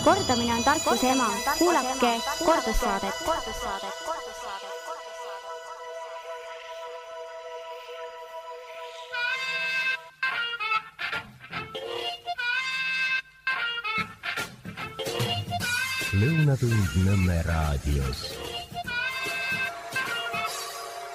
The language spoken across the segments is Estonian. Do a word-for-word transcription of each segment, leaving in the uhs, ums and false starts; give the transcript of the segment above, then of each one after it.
Kordamine on tarkuse ema. Kuulake kordussaadet. Lõunatund Nõmme raadios.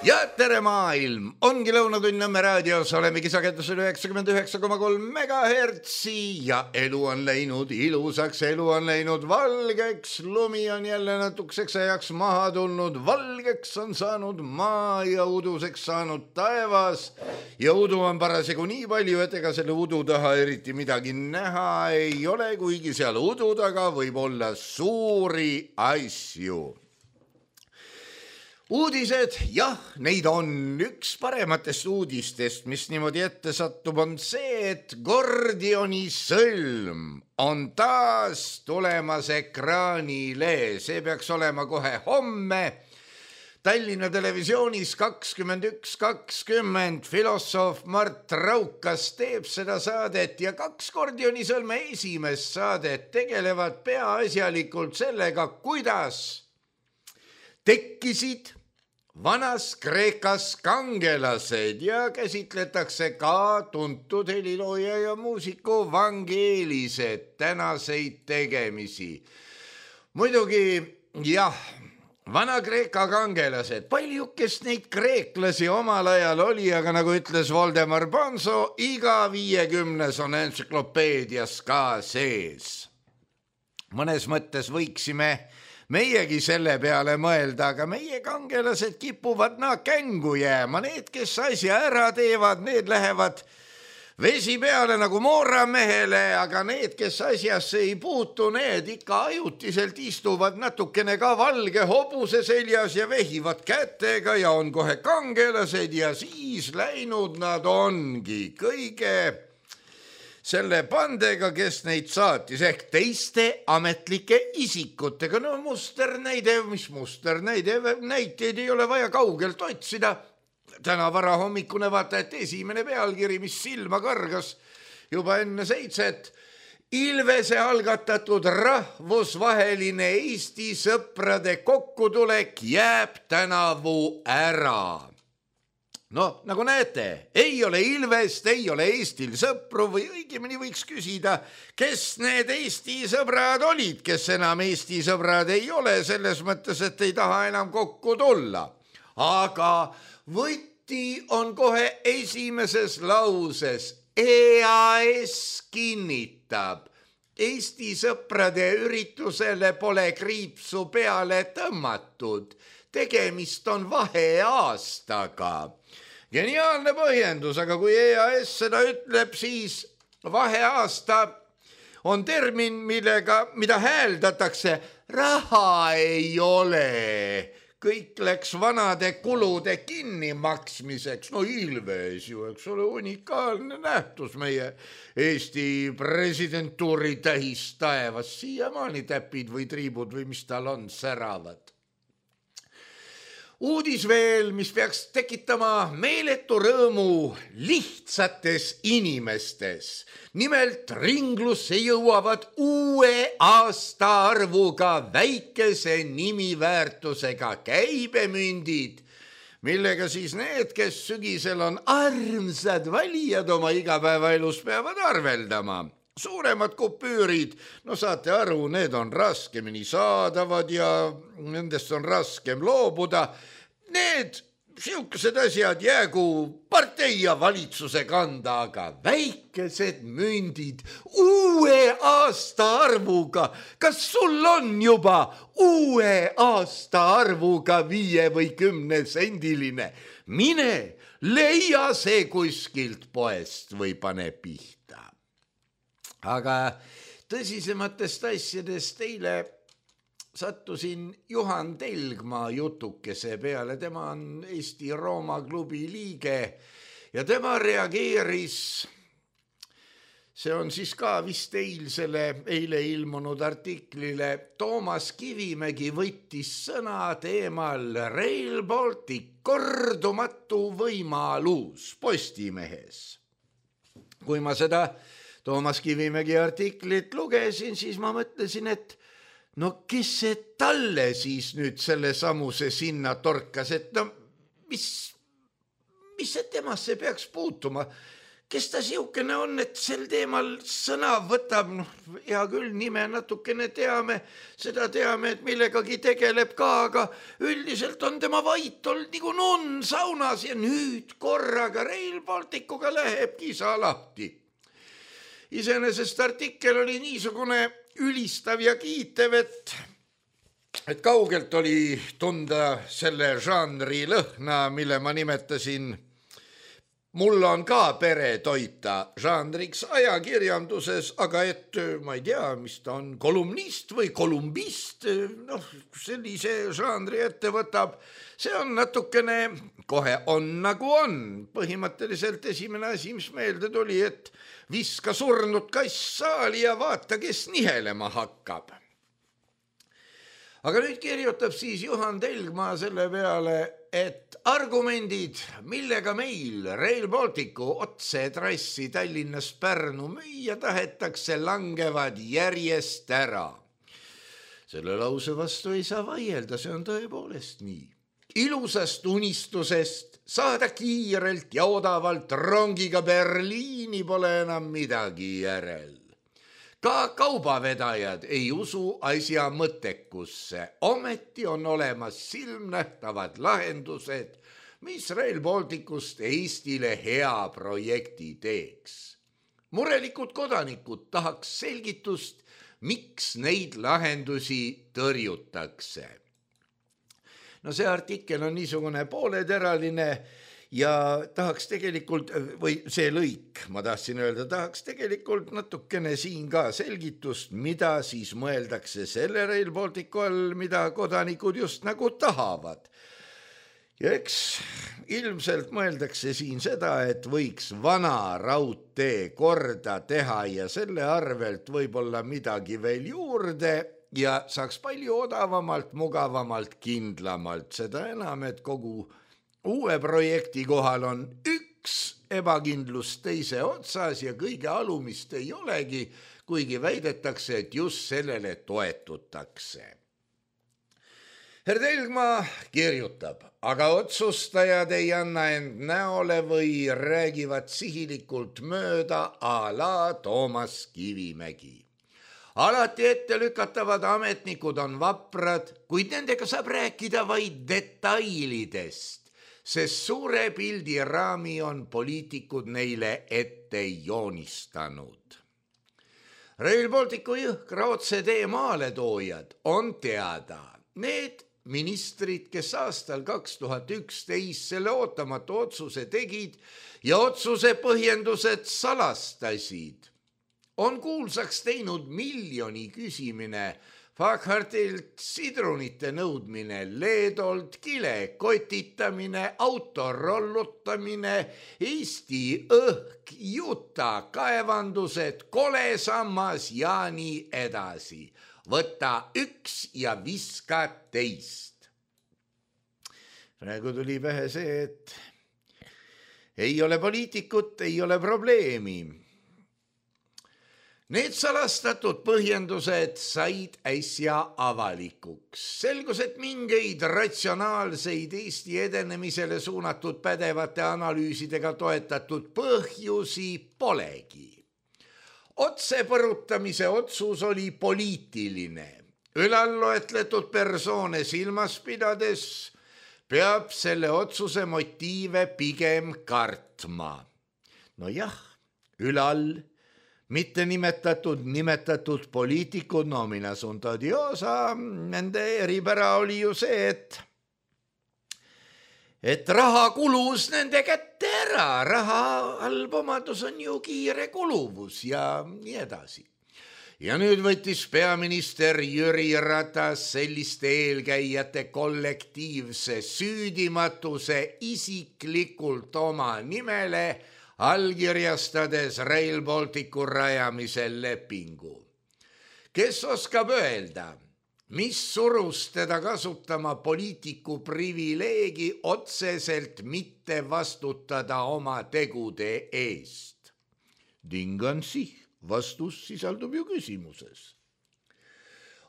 Ja tere maailm! Ongi Lõunatund Nõmme raadios, olemegi sagedusel üheksakümmend üheksa koma kolm megahertsi ja elu on läinud ilusaks, elu on läinud valgeks, lumi on jälle natukeseks ajaks maha tulnud, valgeks on saanud maa ja uduseks saanud taevas ja udu on parasjagu nii palju, et ega selle udu taha eriti midagi näha ei ole, kuigi seal udu taga võib olla suuri asju. Uudised, jah, neid on. Üks parematest uudistest, mis niimoodi ette satub, on see, et Gordioni sõlm on taas tulemas ekraanile. See peaks olema kohe homme. Tallinna televisioonis kakskümmend üks kakskümmend filosoof Mart Raukas teeb seda saadet ja kaks Gordioni sõlme esimest saadet tegelevad peaasjalikult sellega, kuidas tekkisid vanas Kreekas kangelased ja käsitletakse ka tuntud helilooja ja muusiku Vangelised tänaseid tegemisi. Muidugi, jah, vana Kreeka kangelased, paljukest neid kreeklasi omal ajal oli, aga nagu ütles Voldemar Bonzo, iga viiekümnes on entsüklopeedias ka sees. Mõnes mõttes võiksime meiegi selle peale mõelda, aga meie kangelased kipuvad naa kängu jääma. Need, kes asja ära teevad, need lähevad vesi peale nagu mooramehele, aga need, kes asjasse ei puutu, need ikka ajutiselt istuvad natukene ka valge hobuse seljas ja vehivad kätega ja on kohe kangelased ja siis läinud nad ongi kõige selle pandega, kes neid saatis, ehk teiste ametlike isikutega. No musternäide, mis musternäide, näiteid ei ole vaja kaugelt otsida. Täna vara hommikune vaata, et esimene pealkiri, mis silma kargas juba enne seitset. Ilvese algatatud rahvusvaheline Eesti sõprade kokkutulek jääb tänavu ära. No, nagu näete, ei ole Ilvest, ei ole Eestil sõpru või õigemini võiks küsida, kes need Eesti sõbrad olid, kes enam Eesti sõbrad ei ole, selles mõttes, et ei taha enam kokku tulla. Aga võti on kohe esimeses lauses. E A S kinnitab, Eesti sõprade üritusele pole kriipsu peale tõmmatud. Tegemist on vaheaastaga. Geniaalne põhjendus, aga kui E A S seda ütleb, siis vaheaasta on termin, millega, mida hääldatakse, raha ei ole. Kõik läks vanade kulude kinnimaksmiseks. No Ilves ju, eks ole, unikaalne nähtus meie Eesti presidentuuri tähis taevas. Siiamaani täpid või triibud või mis tal on, säravad. Uudis veel, mis peaks tekitama meeletu rõõmu lihtsates inimestes. Nimelt ringlusse jõuavad uue aastaarvuga väikese nimiväärtusega käibemündid, millega siis need, kes sügisel on armsad valijad oma igapäevaelus, peavad arveldama. Suuremad kupüürid, no saate aru, need on raskemini saadavad ja nendest on raskem loobuda. Need siukesed asjad jäägu partei ja valitsuse kanda, aga väikesed mündid uue aastaarvuga. Kas sul on juba uue aastaarvuga viie või kümne sendiline? Mine, leia see kuskilt poest või pane pihta. Aga tõsisematest asjadest eile sattusin Juhan Telgmaa jutukese peale. Tema on Eesti Rooma klubi liige ja tema reageeris, see on siis ka vist eilsele, eile ilmunud artiklile, Toomas Kivimägi võttis sõna teemal Rail Baltic, kordumatu võimalus Postimehes. Kui ma seda Toomas Kivimägi artiklit lugesin, siis ma mõtlesin, et no kes see talle siis nüüd selle samuse sinna torkas, et no mis, mis see temasse peaks puutuma? Kes ta siukene on, et sel teemal sõna võtab? No, hea küll, nime natukene teame, seda teame, et millegagi tegeleb ka, aga üldiselt on tema vait olnud nagu nunn saunas ja nüüd korraga Rail Balticuga läheb kisa lahti. Iseenesest artikkel oli niisugune ülistav ja kiitev, et, et kaugelt oli tunda selle žanri lõhna, mille ma nimetasin mul on ka pere toita žanriks ajakirjanduses, aga et ma ei tea, mis ta on, kolumnist või kolumbist, noh, sellise žanri ette võtab, see on natukene, kohe on nagu on. Põhimõtteliselt esimene asi, mis meelde tuli, et viska surnud kass saali ja vaata, kes nihelema hakkab. Aga nüüd kirjutab siis Juhan Telgmaa selle peale, et argumendid, millega meil Rail Balticu otsetrassi Tallinnast Pärnu müüa tahetakse, langevad järjest ära. Selle lause vastu ei saa vaielda, see on tõepoolest nii. Ilusast unistusest saada kiirelt ja odavalt rongiga Berliini pole enam midagi järel. Ka kaubavedajad ei usu asja mõttekusse, ometi on olemas silmnähtavad lahendused, mis Rail Balticust Eestile hea projekti teeks. Murelikud kodanikud tahaks selgitust, miks neid lahendusi tõrjutakse. No see artikkel on niisugune pooleteraline ja tahaks tegelikult, või see lõik, ma tahtsin öelda, tahaks tegelikult natukene siin ka selgitust, mida siis mõeldakse selle Rail Balticu all, mida kodanikud just nagu tahavad. Ja eks ilmselt mõeldakse siin seda, et võiks vana raudtee korda teha ja selle arvelt võib-olla midagi veel juurde ja saaks palju odavamalt, mugavamalt, kindlamalt. Seda enam, et kogu uue projekti kohal on üks ebakindlus teise otsas ja kõige alumist ei olegi, kuigi väidetakse, et just sellele toetutakse. Herr Telgmaa kirjutab, aga otsustajad ei anna end näole või räägivad sihilikult mööda a la Toomas Kivimägi. Alati ette lükatavad ametnikud on vaprad, kuid nendega saab rääkida vaid detailidest, sest suure pildi raami on poliitikud neile ette joonistanud. Rail Balticu jõhkra otsetee maaletoojad on teada. Need ministrid, kes aastal kaks tuhat üksteist selle ootamatu otsuse tegid ja otsuse põhjendused salastasid, on kuulsaks teinud miljoni küsimine, Faghartilt sidrunite nõudmine, Leedolt kile kotitamine, auto rollutamine, Eesti õhk, Juta kaevandused, kolesammas ja nii edasi. Võta üks ja viska teist. Praegu tuli pähe see, et ei ole poliitikut, ei ole probleemi. Need salastatud põhjendused said äsja avalikuks. Selgus, et mingeid ratsionaalseid Eesti edenemisele suunatud pädevate analüüsidega toetatud põhjusi polegi. Otsepõrutamise otsus oli poliitiline. Ülalloetletud persoone silmas pidades peab selle otsuse motiive pigem kartma. No jah, ülal mitte nimetatud, nimetatud poliitikud, no mina sun todiosa, nende eripära oli ju see, et et raha kulus nende kätte ära, raha halb omadus on ju kiire kuluvus ja nii edasi. Ja nüüd võttis peaminister Jüri Ratas selliste eelkäijate kollektiivse süüdimatuse isiklikult oma nimele, allkirjastades Rail Balticu rajamisel lepingu. Kes oskab öelda, mis surus teda kasutama poliitiku privileegi otseselt mitte vastutada oma tegude eest? Ding on sih, vastus sisaldub ju küsimuses.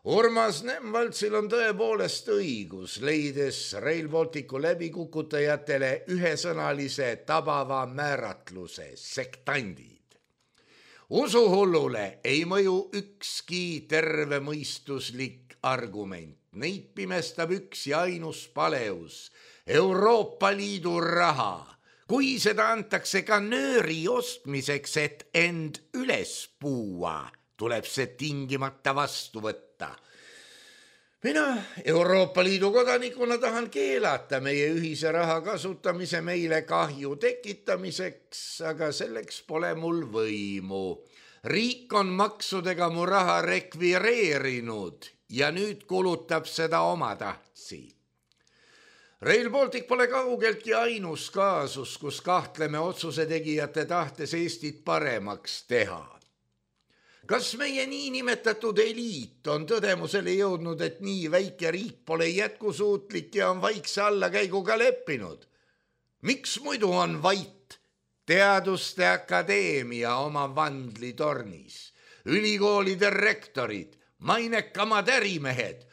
Urmas Nemvaltsil on tõepoolest õigus, leides Rail Balticu läbikukutajatele ühesõnalise tabava määratluse sektandid. Usuhullule ei mõju ükski tervemõistuslik argument. Neid pimestab üks ja ainus paleus, Euroopa Liidu raha. Kui seda antakse ka nööri ostmiseks, et end üles puua, tuleb see tingimata vastu võtta. Mina Euroopa Liidu kodanikuna tahan keelata meie ühise raha kasutamise meile kahju tekitamiseks, aga selleks pole mul võimu. Riik on maksudega mu raha rekvireerinud ja nüüd kulutab seda oma tahtsi. Rail Baltic pole kaugeltki ainus kaasus, kus kahtleme otsuse tegijate tahtes Eestit paremaks teha. Kas meie niinimetatud eliit on tõdemusele jõudnud, et nii väike riik pole jätkusuutlik ja on vaikse allakäiguga leppinud? Miks muidu on vait Teaduste Akadeemia oma vandlitornis, ülikoolide rektorid, mainekamad ärimehed,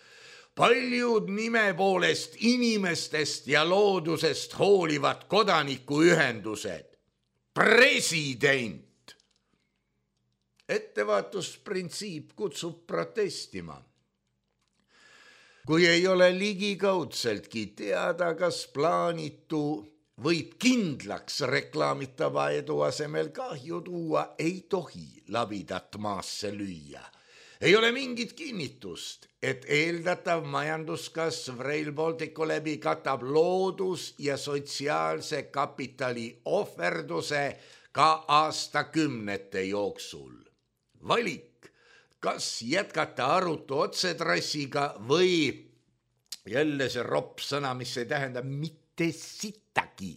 paljud nime poolest inimestest ja loodusest hoolivad kodanikuühendused, president? Ettevaatusprintsiip kutsub protestima. Kui ei ole ligikaudseltki teada, kas plaanitu võib kindlaks reklaamitava edu asemel kahju tuua, ei tohi labidat maasse lüüa. Ei ole mingit kinnitust, et eeldatav majanduskasv Rail Balticu läbi katab loodus- ja sotsiaalse kapitali ohverduse ka aastakümnete jooksul. Valik, kas jätkata arutu otsetrassiga või jälle see ropp sõna, mis ei tähenda mitte sittagi,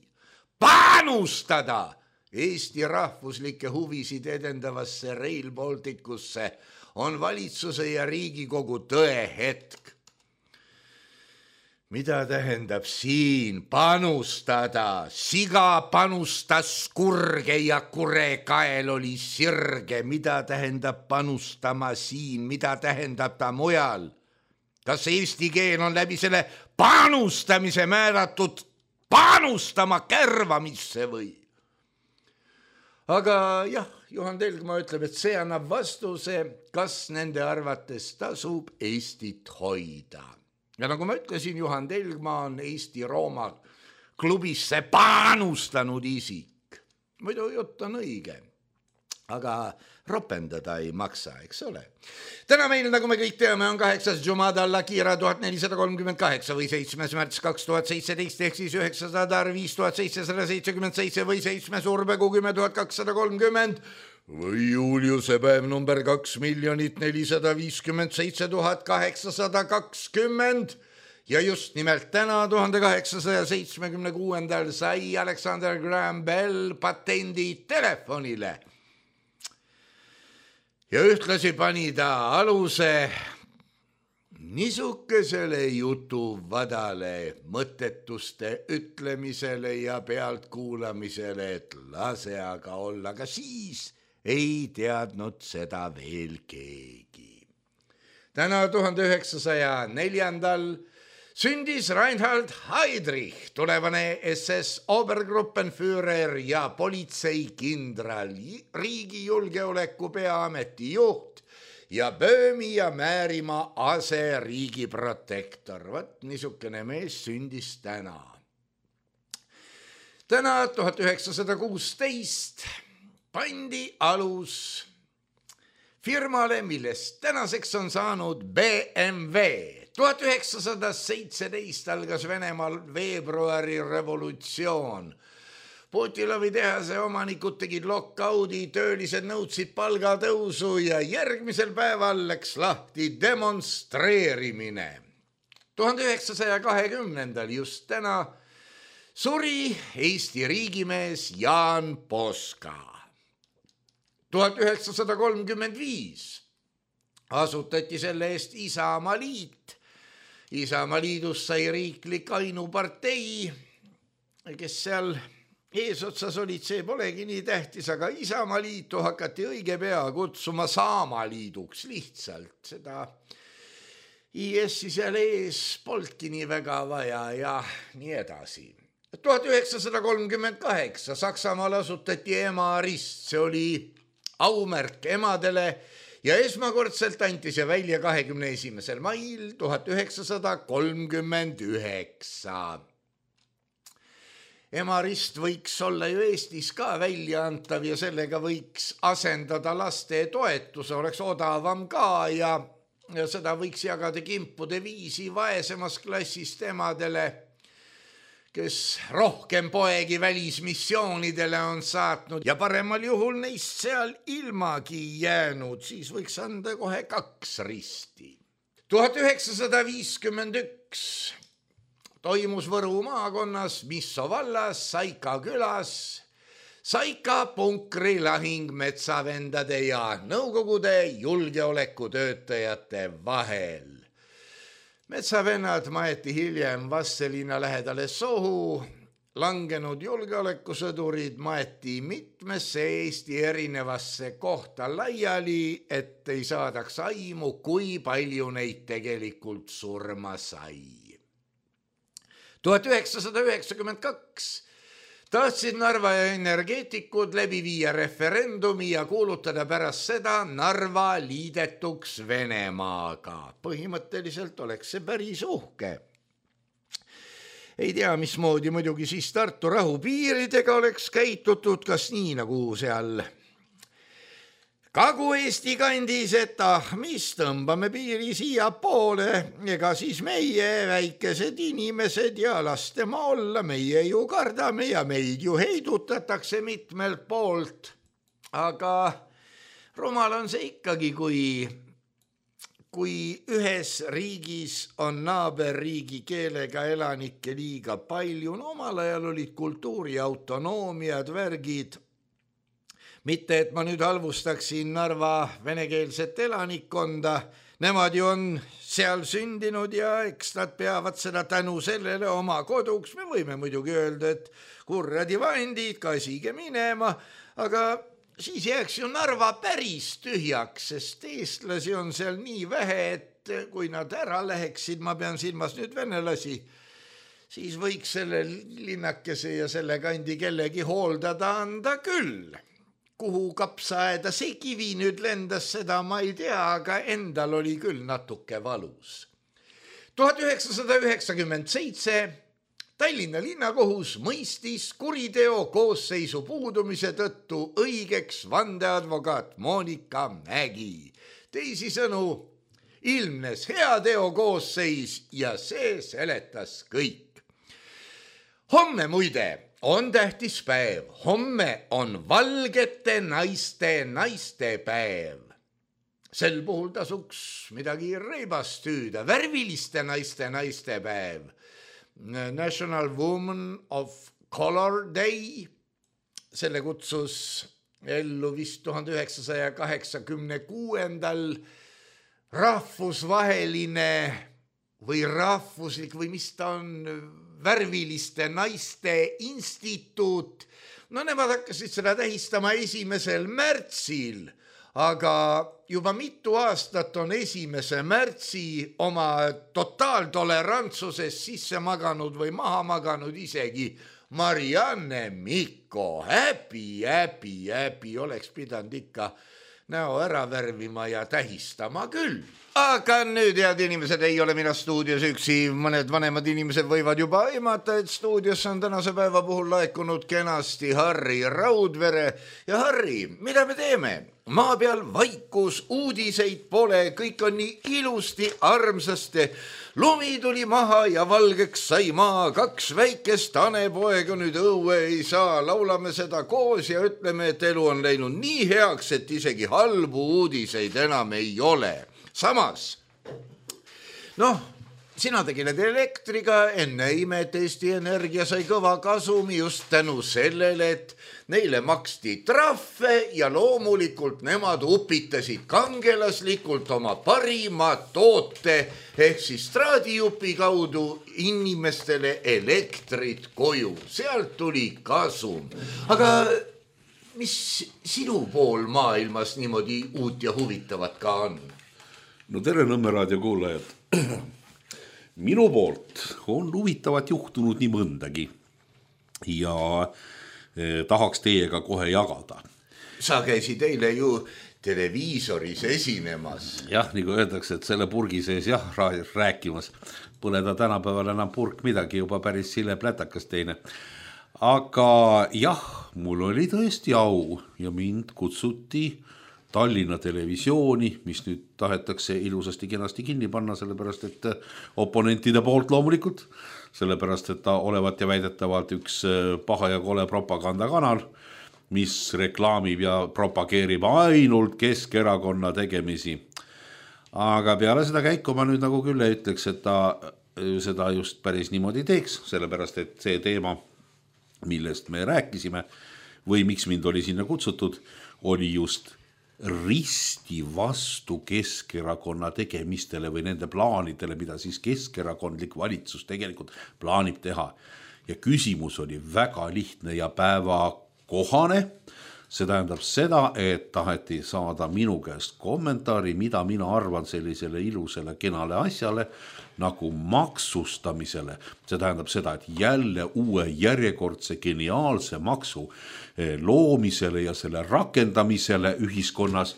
panustada Eesti rahvuslikke huvisid edendavasse Rail Balticusse, on valitsuse ja Riigikogu tõehetk. Mida tähendab siin panustada? Siga panustas kurge ja kure kael oli sirge. Mida tähendab panustama siin? Mida tähendab ta mujal? Kas eesti keel on läbi selle panustamise määratud panustama kärvamisse või? Aga jah, Juhan Telgma ütleb, et see annab vastuse, kas nende arvates tasub Eestit hoida. Ja nagu ma ütlesin, Juhan Telgma on Eesti-Rooma klubisse panustanud isik. Muidu jutt on õige, aga ropendada ei maksa, eks ole. Täna meil, nagu me kõik teame, on kaheksas Jumada Al-Akira tuhat nelisada kolmkümmend kaheksa või seitsmes märts kaks tuhat seitseteist ehk siis üheksasada viis tuhat seitsesada seitsekümmend seitse või seitsmes Urbegu kümme tuhat kakssada kolmkümmend või Juliuse päev number kaks miljonit nelisada viiskümmend seitse tuhat kaheksasada kakskümmend ja just nimelt täna tuhande kaheksasaja seitsmekümne kuuendal sai Alexander Graham Bell patendi telefonile ja ühtlasi pani ta aluse niisugusele jutuvadale, mõttetuste ütlemisele ja pealtkuulamisele, et lase aga olla, ka siis ei teadnud seda veel keegi. Täna tuhande üheksasaja neljandal sündis Reinhard Heydrich, tulevane S S Obergruppenführer ja politseikindral, riigi julgeoleku peaameti juht ja Böömi ja Määrimaa ase riigi protektor. Vat niisugune mees sündis täna. Täna tuhat üheksasada kuusteist pandi alus firmale, millest tänaseks on saanud B M W. tuhat üheksasada seitseteist algas Venemaal veebruari revolutsioon. Putilovi tehase omanikud tegid lockout'i, töölised nõudsid palgatõusu ja järgmisel päeval läks lahti demonstreerimine. tuhande üheksasaja kahekümnendal just täna suri Eesti riigimees Jaan Poska. tuhat üheksasada kolmkümmend viis asutati selle eest Isamaa liit. Isamaa liidus sai riiklik ainupartei, kes seal eesotsas olid, see polegi nii tähtis, aga Isamaa liitu hakati õige pea kutsuma Saamaliiduks lihtsalt. Seda I S-i seal ees polki nii väga vaja ja nii edasi. tuhat üheksasada kolmkümmend kaheksa Saksamaal asutati Emarist, see oli aumärk emadele ja esmakordselt anti see välja kahekümne esimesel mail tuhat üheksasada kolmkümmend üheksa. Emarist võiks olla ju Eestis ka välja antav ja sellega võiks asendada laste toetuse, oleks odavam ka ja, ja seda võiks jagada kimpude viisi vaesemas klassist emadele, kes rohkem poegi välismissioonidele on saatnud ja paremal juhul neist seal ilmagi jäänud, siis võiks anda kohe kaks risti. tuhat üheksasada viiskümmend üks toimus Võru maakonnas Misso vallas Saika külas Saika punkri lahing metsavendade ja Nõukogude julgeolekutöötajate vahel. Metsavennad maeti hiljem Vastseliina lähedale sohu, langenud julgeolekusõdurid maeti mitmesse Eesti erinevasse kohta laiali, et ei saadaks aimu, kui palju neid tegelikult surma sai. tuhat üheksasada üheksakümmend kaks tahtsid Narva energeetikud läbi viia referendumi ja kuulutada pärast seda Narva liidetuks Venemaaga. Põhimõtteliselt oleks see päris uhke. Ei tea, mismoodi muidugi siis Tartu rahupiiridega oleks käitutud, kas nii nagu seal Kagu-Eesti kandis, et ah, mis tõmbame piiri siia poole, ega siis meie väikesed inimesed ja lastema olla, meie ju kardame ja meid ju heidutatakse mitmelt poolt. Aga rumal on see ikkagi, kui, kui ühes riigis on naaberriigi keelega elanikke liiga palju. No, omal ajal olid kultuuri autonoomiad, värgid. Mitte, et ma nüüd halvustaksin Narva venekeelset elanikkonda, nemad ju on seal sündinud ja eks nad peavad seda tänu sellele oma koduks. Me võime muidugi öelda, et kurradi vandid, kasige minema, aga siis jääks ju Narva päris tühjaks, sest eestlasi on seal nii vähe, et kui nad ära läheksid, ma pean silmas nüüd venelasi, siis võiks selle linnakese ja selle kandi kellegi hooldada anda küll. Kuhu kapsaaeda see kivi nüüd lendas, seda ma ei tea, aga endal oli küll natuke valus. tuhat üheksasada üheksakümmend seitse Tallinna linnakohus mõistis kuriteo koosseisu puudumise tõttu õigeks vandeadvokaat Monika Mägi. Teisisõnu, ilmnes heateo koosseis ja see seletas kõik. Homme muide on tähtis päev. Homme on valgete naiste naistepäev. Sel puhul tasuks midagi reibast hüüda. Värviliste naiste naistepäev. National Women of Color Day. Selle kutsus ellu vist tuhande üheksasaja kaheksakümne kuuendal rahvusvaheline või rahvuslik või mis ta on värviliste naiste instituut. No nemad hakkasid seda tähistama esimesel märtsil, aga juba mitu aastat on esimese märtsi oma totaaltolerantsuses sisse maganud või maha maganud isegi Marianne Mikko. Häbi, häbi, häbi, oleks pidanud ikka näo ära värvima ja tähistama küll. Aga nüüd, head inimesed, ei ole mina stuudios üksi. Mõned vanemad inimesed võivad juba aimata, et stuudios on tänase päeva puhul laekunud kenasti Harri Raudvere. Ja Harri, mida me teeme? Maa peal vaikus, uudiseid pole, kõik on nii ilusti armsasti. Lumi tuli maha ja valgeks sai maa, kaks väikest hanepoega nüüd õue ei saa. Laulame seda koos ja ütleme, et elu on läinud nii heaks, et isegi halbu uudiseid enam ei ole. Samas, noh, sina tegeled elektriga, enne imet Eesti Energia sai kõva kasumi just tänu sellele, et neile maksti trahve ja loomulikult nemad upitasid kangelaslikult oma parima toote ehk siis straadijupi kaudu inimestele elektrit koju. Sealt tuli kasum. Aga mis sinu pool maailmas niimoodi uut ja huvitavat ka on? No tere Nõmme raadio kuulajad. Minu poolt on huvitavat juhtunud nii mõndagi ja eh, tahaks teiega kohe jagada. Sa käisid eile ju televiisoris esinemas. Jah, nagu öeldakse, et selle purgi sees jah, rääkimas. Pole ta tänapäeval enam purk midagi, juba päris sile plätakas teine. Aga jah, mul oli tõesti au ja mind kutsuti Tallinna televisiooni, mis nüüd tahetakse ilusasti kenasti kinni panna, sellepärast et oponentide poolt loomulikult, sellepärast et ta olevat ja väidetavalt üks paha ja kole propagandakanal, mis reklaamib ja propageerib ainult Keskerakonna tegemisi. Aga peale seda käiku ma nüüd nagu küll ei ütleks, et ta seda just päris niimoodi teeks, sellepärast et see teema, millest me rääkisime või miks mind oli sinna kutsutud, oli just risti vastu Keskerakonna tegemistele või nende plaanidele, mida siis keskerakondlik valitsus tegelikult plaanib teha. Ja küsimus oli väga lihtne ja päevakohane. See tähendab seda, et taheti saada minu käest kommentaari, mida mina arvan sellisele ilusele kenale asjale nagu maksustamisele. See tähendab seda, et jälle uue järjekordse geniaalse maksu loomisele ja selle rakendamisele ühiskonnas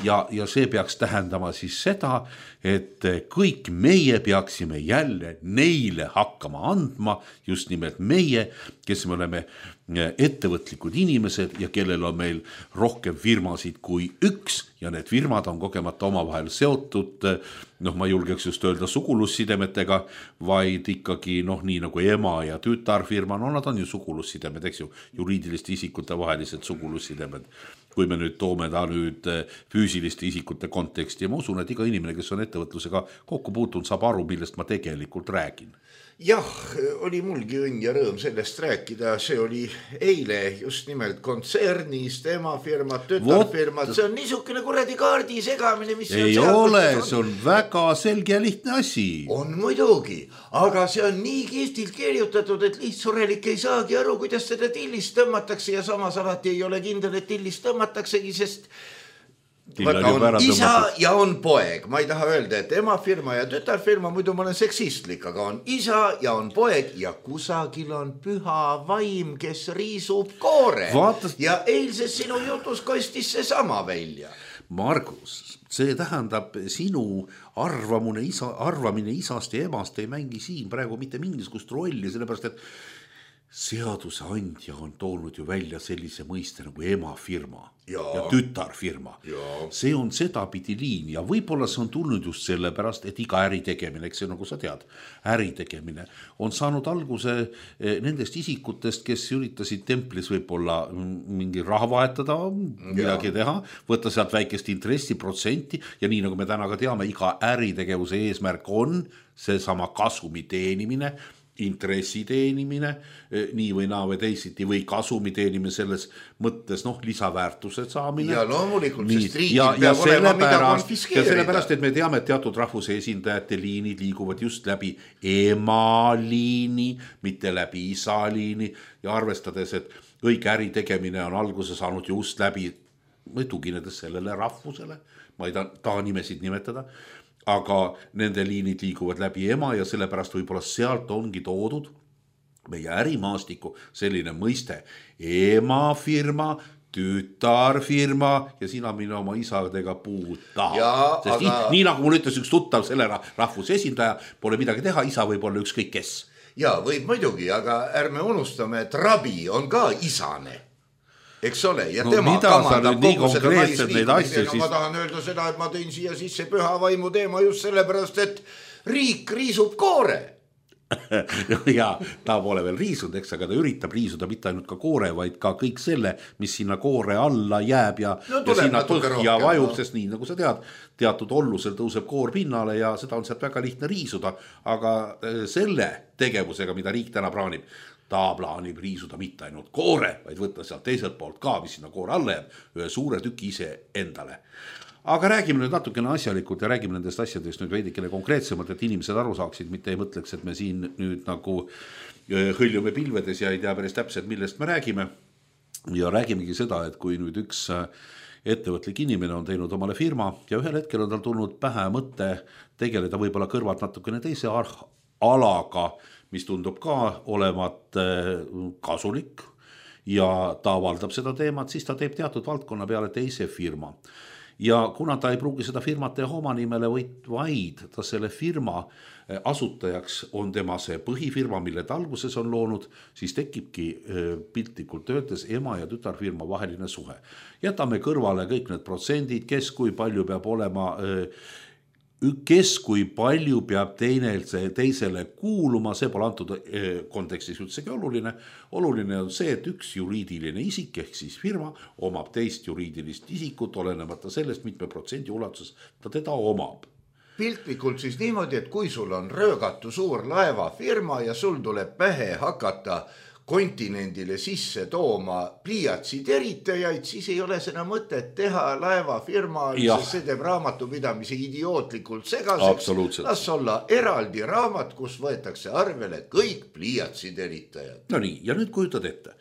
ja, ja see peaks tähendama siis seda, et kõik meie peaksime jälle neile hakkama andma, just nimelt meie, kes me oleme ettevõtlikud inimesed ja kellel on meil rohkem firmasid kui üks ja need firmad on kogemata omavahel seotud, noh ma julgeks just öelda sugulussidemetega, vaid ikkagi noh nii nagu ema ja tütarfirma, no nad on ju sugulussidemed, eks ju, juriidiliste isikute vahelised sugulussidemed. Kui me nüüd toome ta nüüd füüsiliste isikute konteksti ja ma usun, et iga inimene, kes on ettevõtlusega kokku puutunud, saab aru, millest ma tegelikult räägin. Jah, oli mulgi õnn ja rõõm sellest rääkida, see oli eile just nimelt kontsernist, emafirmad, tütarfirmad, see on niisugune kuradi kaardi segamine, mis ei ole, see on väga selge ja lihtne asi. On muidugi, aga see on nii kihvtilt kirjutatud, et lihtsurelik ei saagi aru, kuidas seda tillist tõmmatakse ja samas alati ei ole kindel, et tillist tõmmataksegi, sest Vaata, on isa ja on poeg, ma ei taha öelda, et emafirma ja tütarfirma, muidu ma olen seksistlik, aga on isa ja on poeg ja kusagil on püha vaim, kes riisub koore. Vaatas... ja eilses sinu jutus kostis see sama välja. Margus, see tähendab sinu arvamine, isa, arvamine isast ja emast ei mängi siin praegu mitte mingisugust rolli, sellepärast et seadusandja on toonud ju välja sellise mõiste nagu emafirma ja, ja tütarfirma. Ja. See on sedapidi liin ja võib-olla see on tulnud just sellepärast, et iga äritegemine, eks see nagu sa tead, äritegemine on saanud alguse nendest isikutest, kes üritasid templis võib-olla mingi raha vahetada, midagi ja. teha, võtta sealt väikest intressiprotsenti ja nii nagu me täna ka teame, iga äritegevuse eesmärk on seesama kasumi teenimine, intressi teenimine, nii või naa või teisiti või kasumi teenimine selles mõttes, noh, lisaväärtused saamine. Ja loomulikult, sest riigil peab olema mida konfiskeerida. Ja sellepärast, et me teame, et teatud rahvuse esindajate liinid liiguvad just läbi emaliini, mitte läbi isaliini ja arvestades, et õige äri tegemine on alguse saanud just läbi, või tuginedes sellele rahvusele, ma ei taha nimesid nimetada, aga nende liinid liiguvad läbi ema ja sellepärast võib-olla sealt ongi toodud meie ärimaastiku selline mõiste emafirma, tütarfirma ja sina mine oma isadega puuta. Sest aga... nii, nii nagu mul ütles üks tuttav selle rahvuse esindaja, pole midagi teha, isa võib olla ükskõik kes. Ja võib muidugi, aga ärme unustame, et rabi on ka isane. Eks ole, ja no, tema kamandab kogu seda naisliikumist. No, ma tahan öelda seda, et ma tõin siia sisse püha vaimu teema just sellepärast, et riik riisub koore. ja ta pole veel riisunud, eks, aga ta üritab riisuda mitte ainult ka koore, vaid ka kõik selle, mis sinna koore alla jääb ja, no, ja sinna põhja vajub, no. Sest nii nagu sa tead, teatud ollusel tõuseb koor pinnale ja seda on sealt väga lihtne riisuda, aga selle tegevusega, mida riik täna plaanib, ta plaanib riisuda mitte ainult koore, vaid võtta sealt teiselt poolt ka, mis sinna koore alla jääb, ühe suure tüki ise endale. Aga räägime nüüd natukene asjalikult ja räägime nendest asjadest nüüd veidikene konkreetsemalt, et inimesed aru saaksid, mitte ei mõtleks, et me siin nüüd nagu hõljume pilvedes ja ei tea päris täpselt, millest me räägime. Ja räägimegi seda, et kui nüüd üks ettevõtlik inimene on teinud omale firma ja ühel hetkel on tal tulnud pähe mõte tegeleda võib-olla kõrvalt natukene teise alaga, mis tundub ka olevat kasulik ja ta avaldab seda teemat, siis ta teeb teatud valdkonna peale teise firma. Ja kuna ta ei pruugi seda firmat teha oma nimele, vaid ta selle firma asutajaks on tema see põhifirma, mille ta alguses on loonud, siis tekibki piltlikult öeldes ema ja tütarfirma vaheline suhe. Jätame kõrvale kõik need protsendid, kes kui palju peab olema, kes kui palju peab teine, teisele kuuluma, see pole antud kontekstis üldsegi oluline. Oluline on see, et üks juriidiline isik ehk siis firma omab teist juriidilist isikut, olenemata sellest, mitme protsendi ulatuses ta teda omab. Piltlikult siis niimoodi, et kui sul on röögatu suur laevafirma ja sul tuleb pähe hakata kontinendile sisse tooma pliiatsi teritajaid, siis ei ole seda mõtet teha laevafirma, sest see teeb raamatupidamise idiootlikult segaseks. Las olla eraldi raamat, kus võetakse arvele kõik pliiatsi teritajad. No nii, ja nüüd kujutad ette.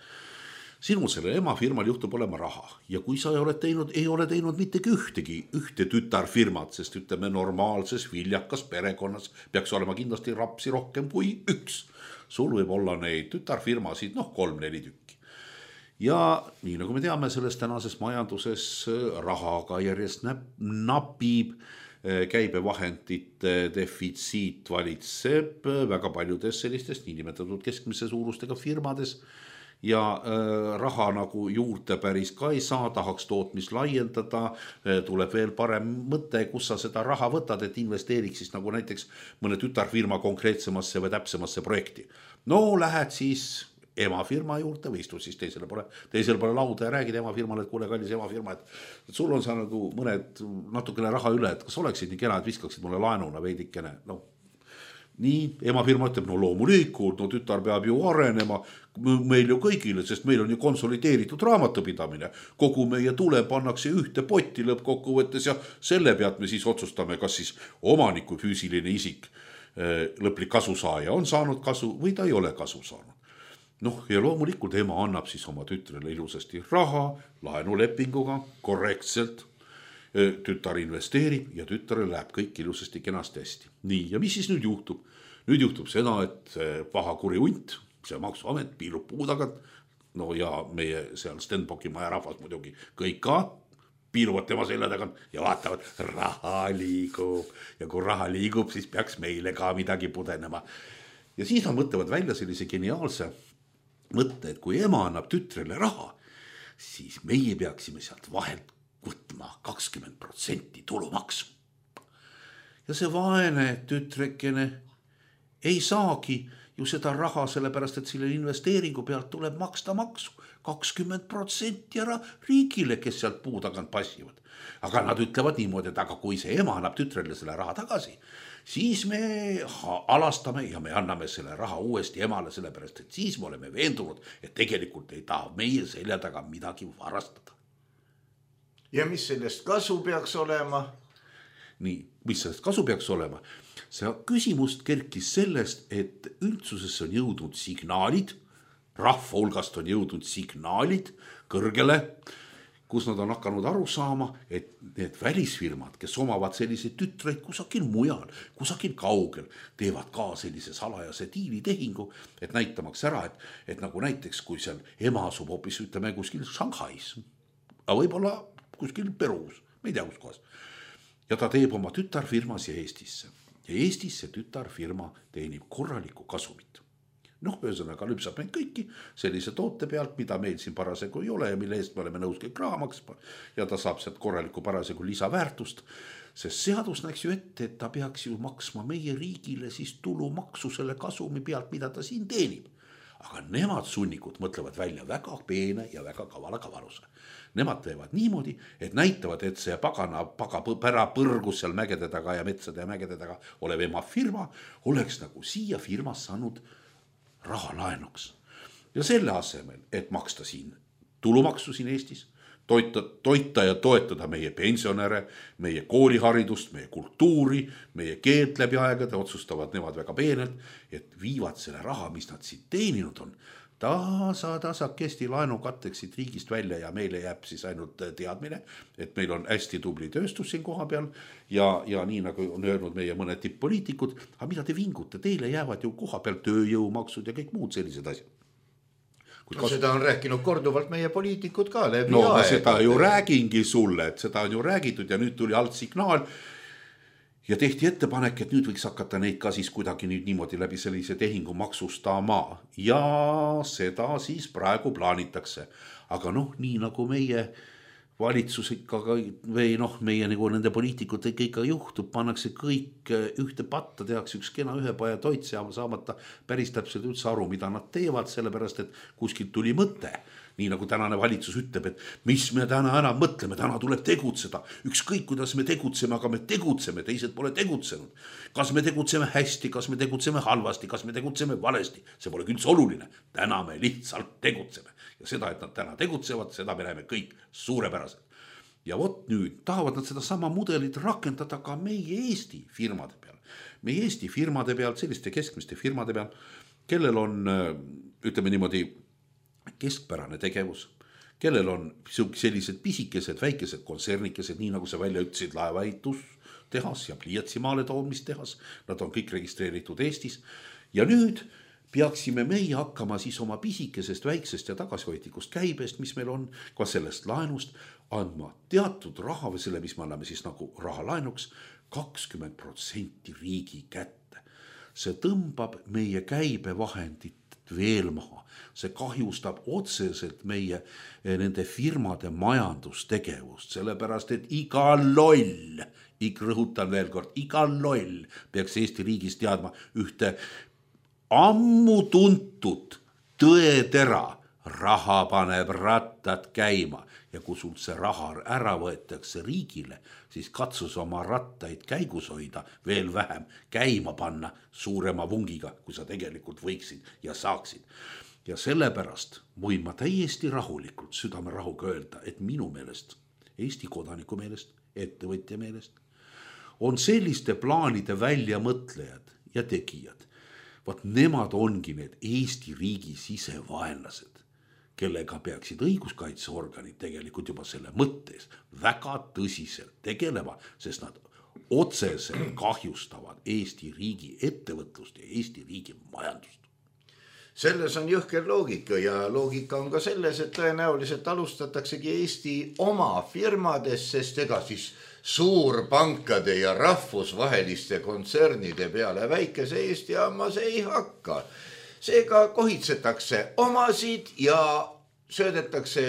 Sinul selle emafirmal juhtub olema raha ja kui sa ei ole teinud, ei ole teinud mittegi ühtegi, ühte tütarfirmat, sest ütleme normaalses viljakas perekonnas peaks olema kindlasti rapsi rohkem kui üks. Sul võib olla neid tütarfirmasid, noh kolm-neli tükki. Ja nii nagu me teame, selles tänases majanduses rahaga järjest napib, käibevahendite defitsiit valitseb väga paljudes sellistest niinimetatud keskmise suurustega firmades ja raha nagu juurde päris ka ei saa, tahaks tootmist laiendada, tuleb veel parem mõte, kus sa seda raha võtad, et investeeriks siis nagu näiteks mõne tütarfirma konkreetsemasse või täpsemasse projekti. No lähed siis emafirma juurde või istud siis teisele pole, teisele pole lauda ja räägid emafirmale, et kuule kallis emafirma, et sul on seal nagu mõned natukene raha üle, et kas oleksid nii kena, et viskaksid mulle laenuna veidikene, no nii, emafirma ütleb, no loomulikult, no tütar peab ju arenema meil ju kõigile, sest meil on ju konsolideeritud raamatupidamine. Kogu meie tule pannakse ühte potti lõppkokkuvõttes ja selle pealt me siis otsustame, kas siis omaniku füüsiline isik lõplik kasusaaja on saanud kasu või ta ei ole kasu saanud. Noh, ja loomulikult ema annab siis oma tütrele ilusasti raha, laenulepinguga, korrektselt. Tütar investeerib ja tütare läheb kõik ilusasti kenasti hästi. Nii, ja mis siis nüüd juhtub? Nüüd juhtub seda, et paha kuri hunt, see maksuamet piilub puu tagant, no ja meie seal Stenbocki maja rahvas muidugi kõik ka piiluvad tema selja tagant ja vaatavad, raha liigub ja kui raha liigub, siis peaks meile ka midagi pudenema. Ja siis nad mõtlevad välja sellise geniaalse mõtte, et kui ema annab tütrele raha, siis meie peaksime sealt vahelt võtma kakskümmend protsenti tulumaksu. Ja see vaene tütrekene ei saagi ju seda raha, sellepärast et selle investeeringu pealt tuleb maksta maksu. kakskümmend protsenti ära riigile, kes sealt puu tagant passivad. Aga nad ütlevad niimoodi, et aga kui see ema annab tütrele selle raha tagasi, siis me alastame ja me anname selle raha uuesti emale, sellepärast et siis me oleme veendunud, et tegelikult ei taha meie selja taga midagi varastada. Ja mis sellest kasu peaks olema? Nii, mis sellest kasu peaks olema? See küsimust kerkis sellest, et üldsusesse on jõudnud signaalid, rahva hulgast on jõudnud signaalid kõrgele, kus nad on hakanud aru saama, et need välisfirmad, kes omavad selliseid tütreid kusagil mujal, kusagil kaugel, teevad ka sellise salajase diilitehingu, et näitamaks ära, et, et nagu näiteks, kui seal ema asub hoopis, ütleme, kuskil Shanghais, aga võib-olla kuskil Peruus, me ei tea kus kohas. Ja ta teeb oma tütarfirmas ja Eestisse. Ja Eestis see tütarfirma teenib korralikku kasumit. noh, ühesõnaga lüpsab meid kõiki sellise toote pealt, mida meil siin parasegu ei ole ja mille eest me oleme nõus kõik raha maksma ja ta saab sealt korraliku parasegu lisaväärtust, sest seadus näeks ju ette, et ta peaks ju maksma meie riigile siis tulumaksu selle kasumi pealt, mida ta siin teenib. Aga nemad sunnikud mõtlevad välja väga peene ja väga kavala kavaluse. Nemad teevad niimoodi, et näitavad, et see pagana paga pära põrgus seal mägede taga ja metsade ja mägede taga olev ema firma oleks nagu siia firmas saanud raha laenuks. Ja selle asemel, et maksta siin tulumaksu siin Eestis, toita, toita ja toetada meie pensionäre, meie kooliharidust, meie kultuuri, meie keelt läbi aegade, otsustavad nemad väga peenelt, et viivad selle raha, mis nad siit teeninud on, tasa tasakesti laenu katteks siit riigist välja ja meile jääb siis ainult teadmine, et meil on hästi tubli tööstus siin koha peal ja, ja nii nagu on öelnud meie mõned tipp-poliitikud, aga mida te vingute, teile jäävad ju koha peal tööjõumaksud ja kõik muud sellised asjad. No, kas... Seda on rääkinud korduvalt meie poliitikud ka läbi no, aega. Seda ju räägingi sulle, et seda on ju räägitud ja nüüd tuli alt signaal ja tehti ettepanek, et nüüd võiks hakata neid ka siis kuidagi nüüd niimoodi läbi sellise tehingu maksustama ja seda siis praegu plaanitakse. Aga noh, nii nagu meie valitsus ikka või noh, meie nagu nende poliitikute ikka juhtub, pannakse kõik ühte patta, tehakse üks kena ühepaja toit saamata päris täpselt üldse aru, mida nad teevad, sellepärast, et kuskilt tuli mõte. Nii nagu tänane valitsus ütleb, et mis me täna enam mõtleme, täna tuleb tegutseda. Ükskõik, kuidas me tegutseme, aga me tegutseme, teised pole tegutsenud. Kas me tegutseme hästi, kas me tegutseme halvasti, kas me tegutseme valesti, see pole üldse oluline. Täna me lihtsalt tegutseme. Ja seda, et nad täna tegutsevad, seda me näeme kõik suurepäraselt. Ja vot nüüd tahavad nad seda sama mudelit rakendada ka meie Eesti firmade peal. Meie Eesti firmade peal, selliste keskmiste firmade peal, kellel on, ütleme niimoodi, keskpärane tegevus, kellel on sellised pisikesed, väikesed konsernikesed, nii nagu sa välja ütlesid, laevaehitus tehas ja pliiatsimaale toomistehas, nad on kõik registreeritud Eestis ja nüüd peaksime meie hakkama siis oma pisikesest, väiksest ja tagasihoidlikust käibest, mis meil on, ka sellest laenust, andma teatud raha või selle, mis me anname siis nagu raha laenuks, kakskümmend protsenti riigi kätte. See tõmbab meie käibevahendit veel maha. See kahjustab otseselt meie nende firmade majandustegevust, sellepärast, et iga loll, ik rõhutan veel kord, iga loll peaks Eesti riigis teadma ühte ammu tuntud tõetera, raha paneb rattad käima ja kui sul see raha ära võetakse riigile, siis katsus oma rattaid käigus hoida, veel vähem käima panna suurema vungiga, kui sa tegelikult võiksid ja saaksid. Ja sellepärast võin ma täiesti rahulikult südame rahuga öelda, et minu meelest, Eesti kodaniku meelest, ettevõtja meelest, on selliste plaanide väljamõtlejad ja tegijad. Vaat nemad ongi need Eesti riigi sisevaenlased, kellega peaksid õiguskaitseorganid tegelikult juba selle mõttes väga tõsiselt tegelema, sest nad otseselt kahjustavad Eesti riigi ettevõtlust ja Eesti riigi majandust. Selles on jõhker loogika ja loogika on ka selles, et tõenäoliselt alustataksegi Eesti oma firmades, sest ega siis suurpankade ja rahvusvaheliste kontsernide peale väikese Eesti ammas ei hakka. Seega kohitsetakse omasid ja söödetakse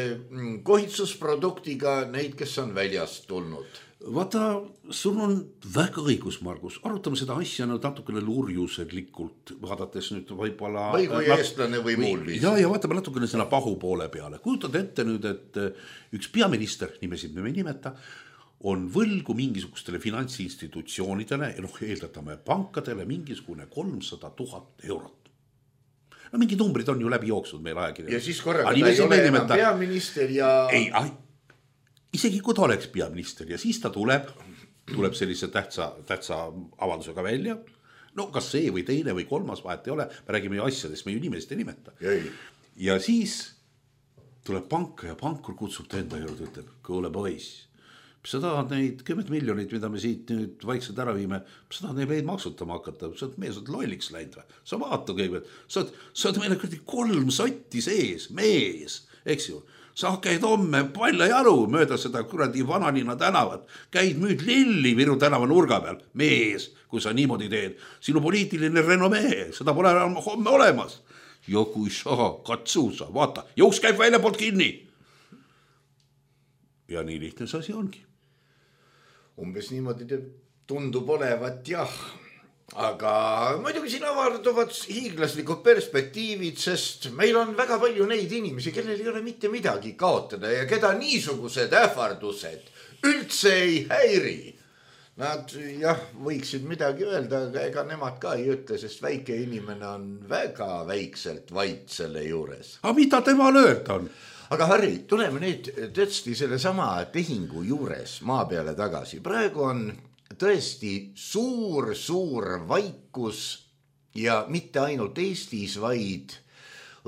kohitsusproduktiga neid, kes on väljast tulnud. Vaata, sul on väga õigus, Margus. Arutame seda asja natukene lurjuseglikult, vaadates nüüd võib-olla... Või kui eestlane või muul viis. Ja, ja vaatame natukene selle pahu poole peale. Kujutad ette nüüd, et üks peaminister, nimesid me ei nimeta, on võlgu mingisugustele finantsinstitutsioonidele ja noh, eeldatame pankadele mingisugune kolmsada tuhat eurot. No mingi numbrid on ju läbi jooksnud meil ajakirjad. Ja siis korraga ta ei ole enam peaminister ja... Ei, ai, isegi kui ta oleks peaminister ja siis ta tuleb, tuleb sellise tähtsa, tähtsa avaldusega välja. No kas see või teine või kolmas vahet ei ole, me räägime ju asjadest, me ju nimest ei nimeta. Jäi. Ja siis tuleb panka ja pankur kutsub ta enda juurde, ütleb, kuule poiss, sa tahad neid kümmet miljonit, mida me siit nüüd vaikselt ära viime, sa tahad neid maksutama hakata, sa oled mees, sa oled lolliks läinud või? Sa vaata kõigepealt, sa oled, sa oled meile kolm sotti sees, mees, eks ju. Sa käid homme palla jalu mööda seda kuradi Vanalinna tänavat, käid müüd lilli Viru tänava nurga peal, mees, kui sa niimoodi teed, sinu poliitiline renomee, seda pole homme olemas. ja kui sa katsu sa, vaata, jõuks käib välja poolt kinni. Ja nii lihtne see asi ongi. Umbes niimoodi tundub olevat, jah. Aga muidugi siin avarduvad hiiglaslikud perspektiivid, sest meil on väga palju neid inimesi, kellel ei ole mitte midagi kaotada ja keda niisugused ähvardused üldse ei häiri. Nad jah, võiksid midagi öelda, aga ega nemad ka ei ütle, sest väike inimene on väga väikselt vait selle juures. Aga mida temal öelda on? Aga Harri, tuleme nüüd tõesti selle sama tehingu juures maa peale tagasi. Praegu on tõesti suur, suur vaikus ja mitte ainult Eestis, vaid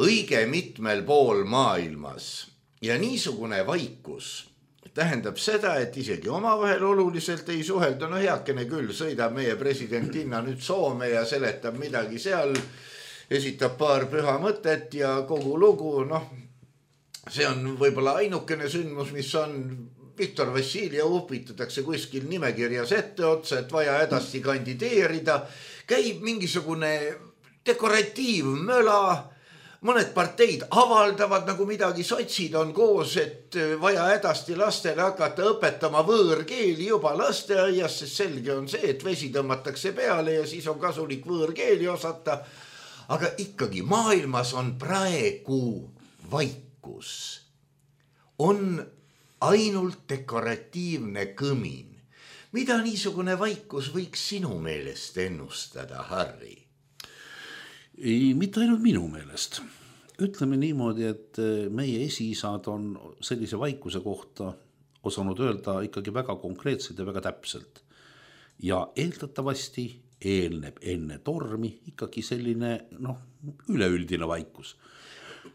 õige mitmel pool maailmas. Ja niisugune vaikus tähendab seda, et isegi omavahel oluliselt ei suhelda. No heakene küll, sõidab meie presidentinna nüüd Soome ja seletab midagi seal, esitab paar püha mõtet ja kogu lugu. Noh, see on võib-olla ainukene sündmus, mis on Viktor Vassiljev upitatakse kuskil nimekirjas ette otsa, et vaja edasti kandideerida. Käib mingisugune dekoratiivmöla, mõned parteid avaldavad nagu midagi, sotsid on koos, et vaja edasti lastele hakata õpetama võõrkeeli juba lasteaias, sest selge on see, et vesi tõmmatakse peale ja siis on kasulik võõrkeeli osata. Aga ikkagi maailmas on praegu vaikus. On ainult dekoratiivne kõmin. Mida niisugune vaikus võiks sinu meelest ennustada, Harri? Ei, mitte ainult minu meelest. Ütleme niimoodi, et meie esiisad on sellise vaikuse kohta osanud öelda ikkagi väga konkreetselt ja väga täpselt. Ja eeldatavasti eelneb enne tormi ikkagi selline noh, üleüldine vaikus.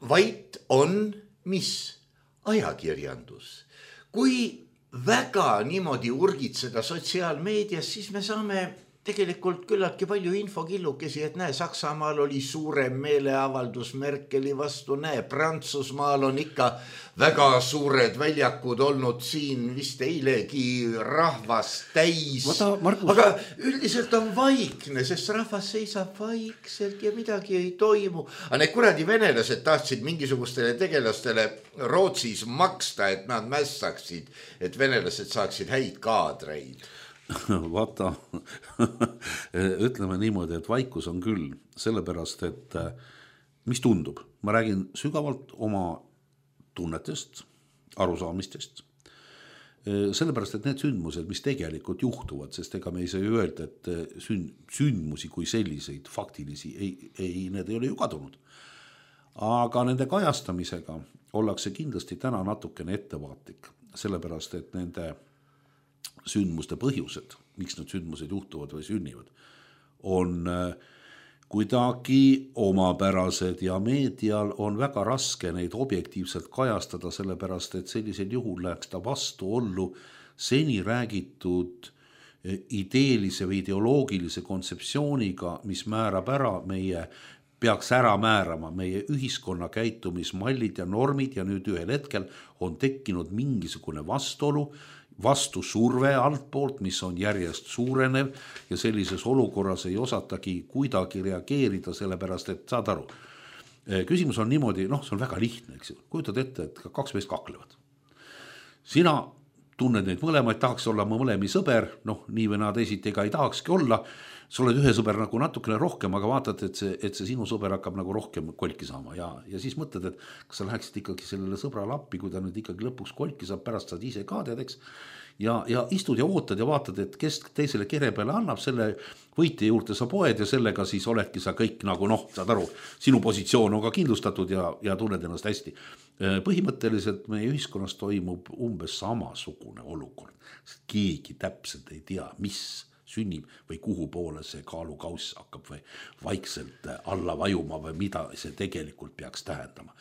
Vait on mis? Ajakirjandus. Kui väga niimoodi urgitseda sotsiaalmeedias, siis me saame tegelikult küllaltki palju infokillukesi, et näe, Saksamaal oli suurem meeleavaldus Merkeli vastu, näe, Prantsusmaal on ikka väga suured väljakud olnud siin vist eilegi rahvas täis. Vata, Markus... Aga üldiselt on vaikne, sest rahvas seisab vaikselt ja midagi ei toimu. Aga need kuradi venelased tahtsid mingisugustele tegelastele Rootsis maksta, et nad mässaksid, et venelased saaksid häid kaadreid. Vaata, ütleme niimoodi, et vaikus on küll, sellepärast, et mis tundub, ma räägin sügavalt oma tunnetest, arusaamistest, sellepärast, et need sündmused, mis tegelikult juhtuvad, sest ega me ei saa ju öelda, et sündmusi kui selliseid faktilisi, ei, ei, need ei ole ju kadunud. Aga nende kajastamisega ollakse kindlasti täna natukene ettevaatlik, sellepärast, et nende sündmuste põhjused, miks need sündmused juhtuvad või sünnivad, on kuidagi omapärased ja meedial on väga raske neid objektiivselt kajastada, sellepärast et sellisel juhul läheks ta vastuollu seni räägitud ideelise või ideoloogilise kontseptsiooniga, mis määrab ära meie, peaks ära määrama meie ühiskonna käitumismallid ja normid ja nüüd ühel hetkel on tekkinud mingisugune vastuolu, vastu surve altpoolt, mis on järjest suurenev ja sellises olukorras ei osatagi kuidagi reageerida, sellepärast et saad aru. Küsimus on niimoodi, noh, see on väga lihtne, eks ju. Kujutad ette, et kaks meest kaklevad. Sina tunned neid mõlemaid, tahaks olla mõlemi sõber, noh, nii või naa teisiti ega ei tahakski olla. Sa oled ühe sõber nagu natukene rohkem, aga vaatad, et see, et see sinu sõber hakkab nagu rohkem kolki saama ja, ja siis mõtled, et kas sa läheksid ikkagi sellele sõbrale appi, kui ta nüüd ikkagi lõpuks kolki saab, pärast saad ise ka teadeks ja, ja istud ja ootad ja vaatad, et kes teisele kere peale annab, selle võitja juurde sa poed ja sellega siis oledki sa kõik nagu noh, saad aru, sinu positsioon on ka kindlustatud ja, ja tunned ennast hästi. Põhimõtteliselt meie ühiskonnas toimub umbes samasugune olukord, sest keegi täpselt ei tea, mis sünnib või kuhu poole see kaalukauss hakkab või vaikselt alla vajuma või mida see tegelikult peaks tähendama.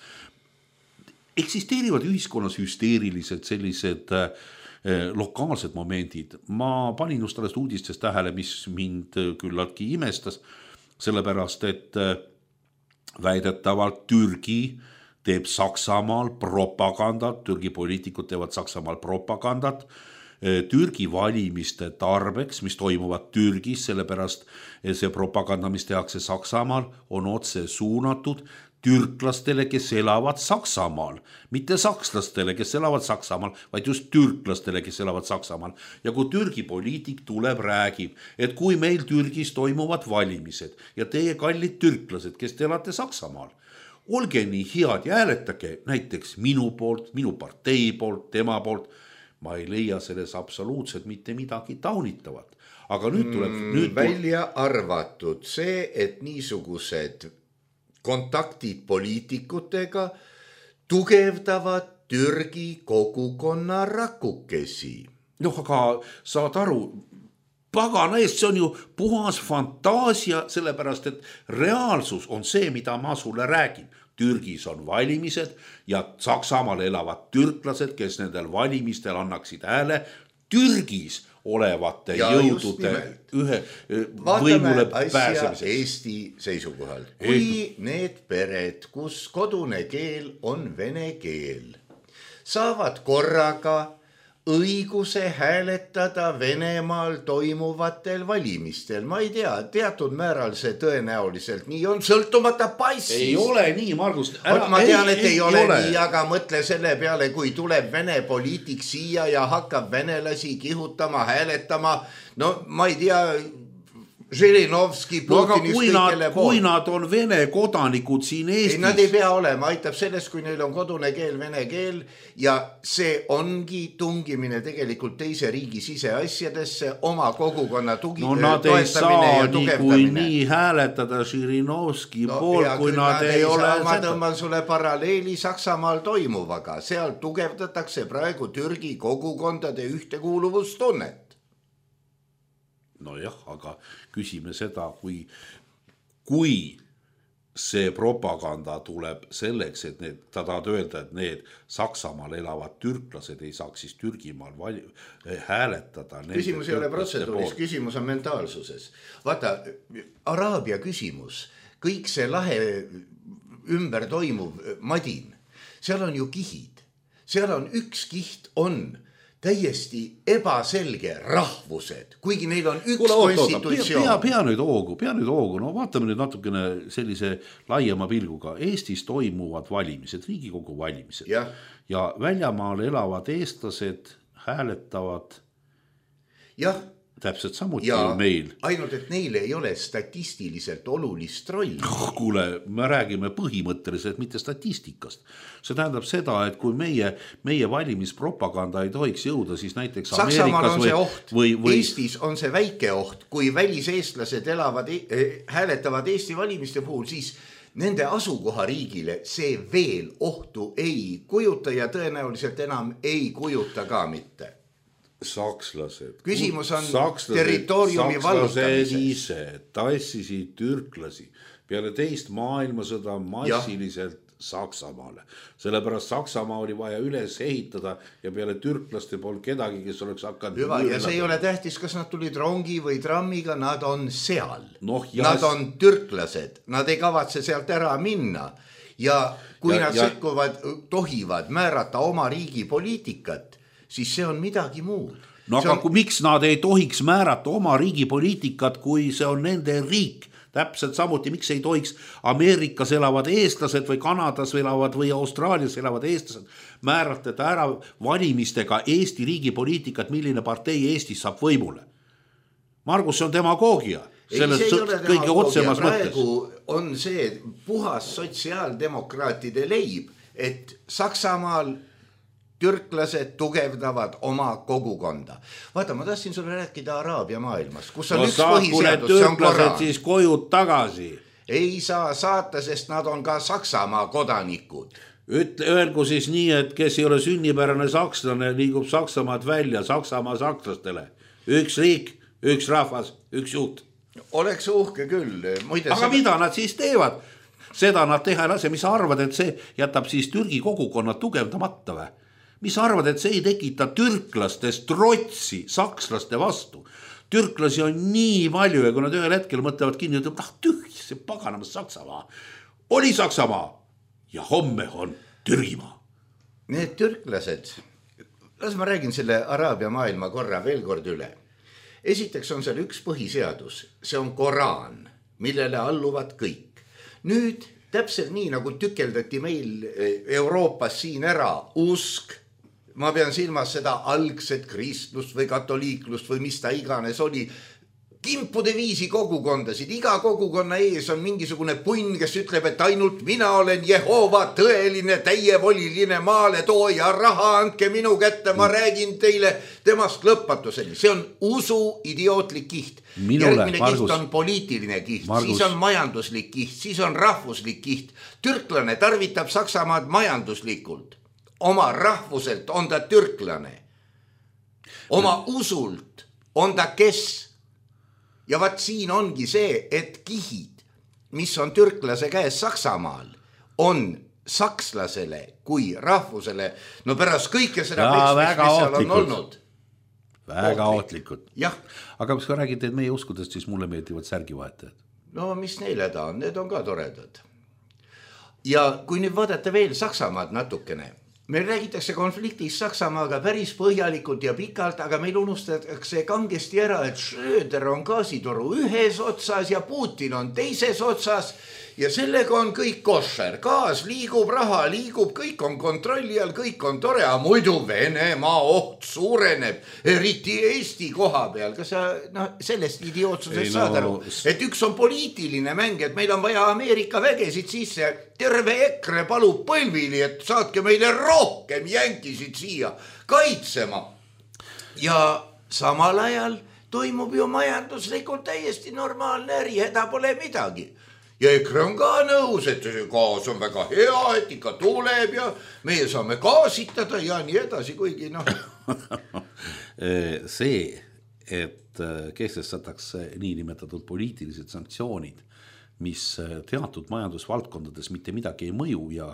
Eksisteerivad ühiskonnas hüsteerilised sellised eh, lokaalsed momendid. Ma panin just alles uudistes tähele, mis mind küllaltki imestas, sellepärast et eh, väidetavalt Türgi teeb Saksamaal propagandat, Türgi poliitikud teevad Saksamaal propagandat, Türgi valimiste tarbeks, mis toimuvad Türgis, sellepärast see propaganda, mis tehakse Saksamaal, on otse suunatud türklastele, kes elavad Saksamaal, mitte sakslastele, kes elavad Saksamaal, vaid just türklastele, kes elavad Saksamaal. Ja kui Türgi poliitik tuleb, räägib, et kui meil Türgis toimuvad valimised ja teie kallid türklased, kes te elate Saksamaal, olge nii head ja hääletage näiteks minu poolt, minu partei poolt, tema poolt, ma ei leia selles absoluutselt mitte midagi taunitavat. Aga nüüd tuleb mm, nüüd välja arvatud see, et niisugused kontaktid poliitikutega tugevdavad Türgi kogukonna rakukesi. noh, aga saad aru, pagana eest, see on ju puhas fantaasia, sellepärast et reaalsus on see, mida ma sulle räägin. Türgis on valimised ja Saksamaal elavad türklased, kes nendel valimistel annaksid hääle Türgis olevate ja jõudude ühe võimule pääsemiseks. Eesti seisukohal. Kui need pered, kus kodune keel on vene keel, saavad korraga õiguse hääletada Venemaal toimuvatel valimistel. Ma ei tea, teatud määral see tõenäoliselt nii on, sõltumata passist. Ei ole nii, Margus. Ära, ma tean, et ei, ei ole, ole nii, aga mõtle selle peale, kui tuleb vene poliitik siia ja hakkab venelasi kihutama, hääletama. No ma ei tea, Žirinovski, Putinist no, kõikele pool. Kui nad on vene kodanikud siin Eestis. Ei, nad ei pea olema, aitab sellest, kui neil on kodune keel, vene keel ja see ongi tungimine tegelikult teise riigi siseasjadesse, oma kogukonna tugi, no nad ei saa nii kui nii hääletada Žirinovski no, pool, kui nad, nad ei ole saa, ma tõmban sulle paralleeli Saksamaal toimuvaga, seal tugevdatakse praegu Türgi kogukondade ühtekuuluvustunnet. No jah, aga küsime seda, kui, kui see propaganda tuleb selleks, et need, ta tahad öelda, et need Saksamaal elavad türklased ei saaks siis Türgimaal vali, hääletada. Küsimus ei ole protseduuris, küsimus on mentaalsuses. Vaata, Araabia küsimus, kõik see lahe ümber toimuv madin, seal on ju kihid. Seal on üks kiht on täiesti ebaselge rahvused, kuigi neil on üks Kula, konstitutsioon. Pea, pea nüüd hoogu, pea nüüd hoogu, no vaatame nüüd natukene sellise laiema pilguga. Eestis toimuvad valimised, Riigikogu valimised ja, ja väljamaal elavad eestlased hääletavad jah. Täpselt samuti ja meil. Ainult, et neile ei ole statistiliselt olulist rolli. Kuule, me räägime põhimõtteliselt, mitte statistikast. See tähendab seda, et kui meie, meie valimispropaganda ei tohiks jõuda, siis näiteks Saksamaal Ameerikas on või, see oht. Või, või... Eestis on see väike oht. Kui väliseestlased elavad, hääletavad Eesti valimiste puhul, siis nende asukohariigile see veel ohtu ei kujuta ja tõenäoliselt enam ei kujuta ka mitte. Sakslased. Küsimus on sakslased, territooriumi vallutamises. Sakslased ise tassisid türklasi peale teist maailmasõda massiliselt ja. Saksamaale. Sellepärast Saksamaa oli vaja üles ehitada ja peale türklaste pool kedagi, kes oleks hakanud... Hüva, ja see ei ole tähtis, kas nad tulid rongi või trammiga, nad on seal. No, nad on türklased, nad ei kavatse sealt ära minna. Ja kui ja, nad ja... sekkuvad, tohivad määrata oma riigi poliitikat, siis see on midagi muud. No aga on... miks nad ei tohiks määrata oma riigi poliitikat, kui see on nende riik? Täpselt samuti, miks ei tohiks Ameerikas elavad eestlased või Kanadas elavad või Austraalias elavad eestlased määratleda ära valimistega Eesti riigi poliitikat, milline partei Eestis saab võimule. Margus, see on demagoogia. Selles ei, see kõige otsemas mõttes. On see puhas sotsiaaldemokraatide leib, et Saksamaal türklased tugevdavad oma kogukonda. Vaata, ma tahtsin sulle rääkida Araabia maailmas, kus on no, üks põhiseadus, see on Koraan. Siis kojud tagasi. Ei saa saata, sest nad on ka Saksamaa kodanikud. Ütle, öelgu siis nii, et kes ei ole sünnipärane sakslane, liigub Saksamaad välja Saksamaa sakslastele. Üks riik, üks rahvas, üks juht. Oleks uhke küll. Muide, aga seda... mida nad siis teevad? Seda nad teha ei lase, mis arvad, et see jätab siis Türgi kogukonna tugevdamata või? Mis arvad, et see ei tekita türklastest trotsi sakslaste vastu? Türklasi on nii palju ja kui nad ühel hetkel mõtlevad kinni, et ah, tüh, see paganamas Saksamaa. Oli Saksamaa ja homme on Türgimaa. Need türklased, las ma räägin selle Araabia maailma korra veel kord üle. Esiteks on seal üks põhiseadus, see on Koraan, millele alluvad kõik. Nüüd täpselt nii, nagu tükeldati meil Euroopas siin ära usk, ma pean silmas seda algset kristlust või katoliiklust või mis ta iganes oli, kimpude viisi kogukondasid, iga kogukonna ees on mingisugune punn, kes ütleb, et ainult mina olen Jehova tõeline, täievoliline maaletooja, raha andke minu kätte, ma räägin teile temast lõpmatuseni. See on usu idiootlik kiht. Minule, järgmine Margus, kiht on poliitiline kiht, Margus. siis on majanduslik kiht, siis on rahvuslik kiht. Türklane tarvitab Saksamaad majanduslikult. Oma rahvuselt on ta türklane. Oma usult on ta kes? Ja vaat siin ongi see, et kihid, mis on türklase käes Saksamaal, on sakslasele kui rahvusele, no pärast kõike seda, Ja, mis, väga mis seal on ohtlikud. olnud. Väga ohtlikud. Jah, Aga mis ka räägid, et meie uskudest, siis mulle meeldivad särgivahetajad. no mis neile ta on, need on ka toredad. Ja kui nüüd vaadata veel Saksamaad natukene, meil räägitakse konfliktist Saksamaaga päris põhjalikult ja pikalt, aga meil unustatakse kangesti ära, et Schröder on gaasitoru ühes otsas ja Putin on teises otsas ja sellega on kõik košer. Gaas liigub, raha liigub, kõik on kontrolli all, kõik on tore, aga muidu Venemaa oht suureneb, eriti Eesti koha peal. Kas sa no, sellest idiootsusest Ei, saad no... aru, et üks on poliitiline mäng, et meil on vaja Ameerika vägesid sisse, terve EKRE palub põlvili, et saatke meile rohkem jänkisid siia kaitsema. Ja samal ajal toimub ju majanduslikult täiesti normaalne äri, häda pole midagi. Ja EKRE on ka nõus, et gaas on väga hea, et ikka tuleb ja meie saame gaasitada ja nii edasi, kuigi noh. See, et kehtestatakse niinimetatud poliitilised sanktsioonid, mis teatud majandusvaldkondades mitte midagi ei mõju ja,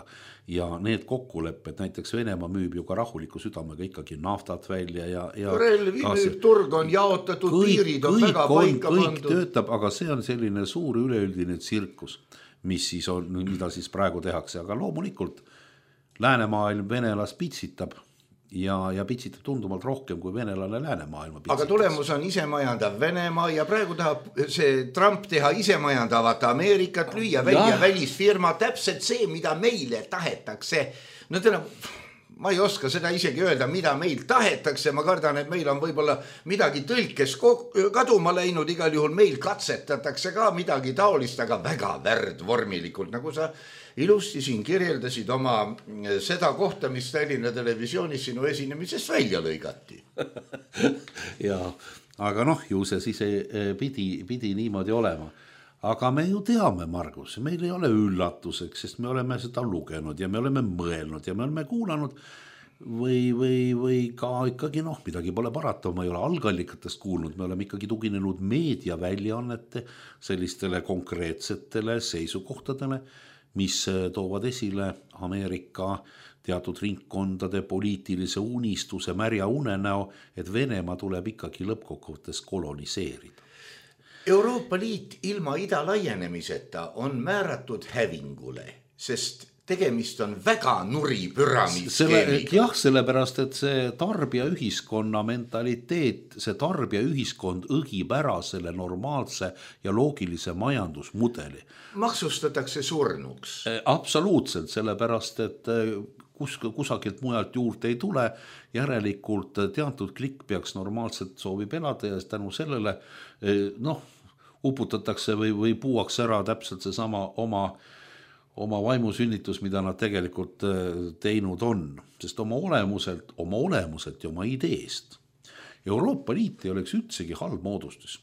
ja need kokkulepped, näiteks Venemaa müüb ju ka rahuliku südamega ikkagi naftat välja ja, ja relvi müüb, turg on jaotatud, kõik, piirid on väga on, paika kõik pandud. Töötab, aga see on selline suur üleüldine tsirkus, mis siis on, mida siis praegu tehakse, aga loomulikult läänemaailm venelas pitsitab ja, ja pitsitab tundumalt rohkem kui venelane läänemaailma pitsitab. Aga tulemus on isemajandav Venemaa ja praegu tahab see Trump teha isemajandavat Ameerikat, lüüa välja välisfirma, täpselt see, mida meile tahetakse. No täna, ma ei oska seda isegi öelda, mida meil tahetakse, ma kardan, et meil on võib-olla midagi tõlkes kaduma läinud, igal juhul meil katsetatakse ka midagi taolist, aga väga värdvormilikult, nagu sa ilusti siin kirjeldasid oma seda kohta, mis Tallinna televisioonis sinu esinemisest välja lõigati. Ja, aga noh, ju see siis pidi, pidi niimoodi olema. Aga me ju teame, Margus, meil ei ole üllatuseks, sest me oleme seda lugenud ja me oleme mõelnud ja me oleme kuulanud või, või, või ka ikkagi noh, midagi pole parata, ma ei ole algallikatest kuulnud, me oleme ikkagi tuginenud meediaväljaannete sellistele konkreetsetele seisukohtadele, mis toovad esile Ameerika teatud ringkondade poliitilise unistuse märja unenäo, et Venemaa tuleb ikkagi lõppkokkuvõttes koloniseerida. Euroopa Liit ilma ida laienemiseta on määratud hävingule, sest tegemist on väga nuri püramiidskeemiga. Jah, sellepärast, et see tarbija ühiskonna mentaliteet, see tarbija ühiskond õgib ära selle normaalse ja loogilise majandusmudeli. Maksustatakse surnuks. Absoluutselt, sellepärast, et kus, kusagilt mujalt juurde ei tule, järelikult teatud klikk peaks normaalselt soovib elada ja tänu sellele noh, uputatakse või, või puuaks ära täpselt see sama oma oma vaimusünnitus, mida nad tegelikult teinud on, sest oma olemuselt, oma olemuselt ja oma ideest. Euroopa Liit ei oleks üldsegi halb moodustus.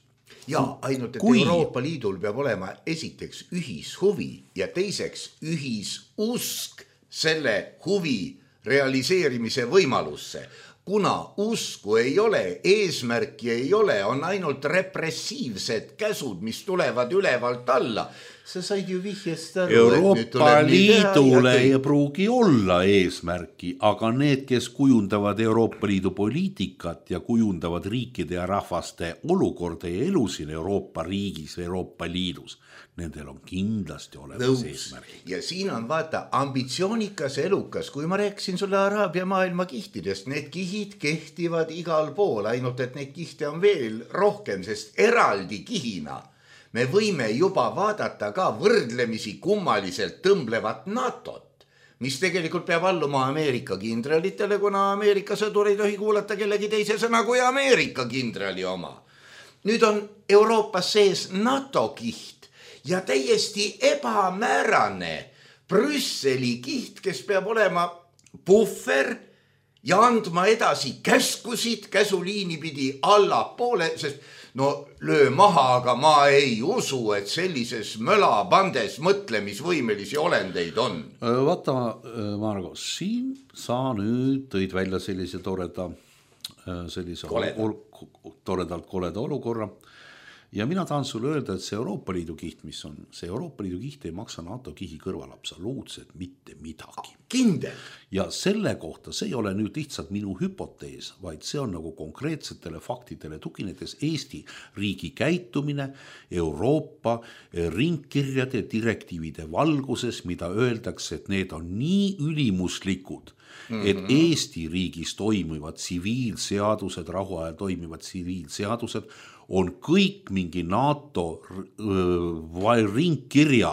Ja ainult, et Kui... Euroopa Liidul peab olema esiteks ühishuvi ja teiseks ühisusk selle huvi realiseerimise võimalusse. Kuna usku ei ole, eesmärki ei ole, on ainult repressiivsed käsud, mis tulevad ülevalt alla. Sa said ju vihjest aru, Euroopa Liidule ei pruugi olla eesmärki, aga need, kes kujundavad Euroopa Liidu poliitikat ja kujundavad riikide ja rahvaste olukorda ja elu siin Euroopa riigis või Euroopa Liidus, nendel on kindlasti olemas eesmärk. Ja siin on vaata ambitsioonikas elukas, kui ma rääkisin sulle Araabia maailma kihtidest, need kihid kehtivad igal pool, ainult et neid kihte on veel rohkem, sest eraldi kihina me võime juba vaadata ka võrdlemisi kummaliselt tõmblevat NATOt, mis tegelikult peab alluma Ameerika kindralitele, kuna Ameerika sõdur ei tohi kuulata kellegi teise sõna kui Ameerika kindrali oma. Nüüd on Euroopas sees NATO kiht ja täiesti ebamäärane Brüsseli kiht, kes peab olema puhver ja andma edasi käskusid käsuliini pidi allapoole, sest no löö maha, aga ma ei usu, et sellises mölabandes mõtlemisvõimelisi olendeid on. Vaata, Margo, siin sa nüüd tõid välja sellise toreda, sellise ol, toredalt koleda olukorra. Ja mina tahan sulle öelda, et see Euroopa Liidu kiht, mis on, see Euroopa Liidu kiht ei maksa NATO kihi kõrval absoluutselt mitte midagi. Kindel. Ja selle kohta, see ei ole nüüd lihtsalt minu hüpotees, vaid see on nagu konkreetsetele faktidele tuginedes Eesti riigi käitumine Euroopa ringkirjade direktiivide valguses, mida öeldakse, et need on nii ülimuslikud, mm-hmm. et Eesti riigis toimivad tsiviilseadused, rahuajal toimivad tsiviilseadused on kõik mingi NATO ringkirja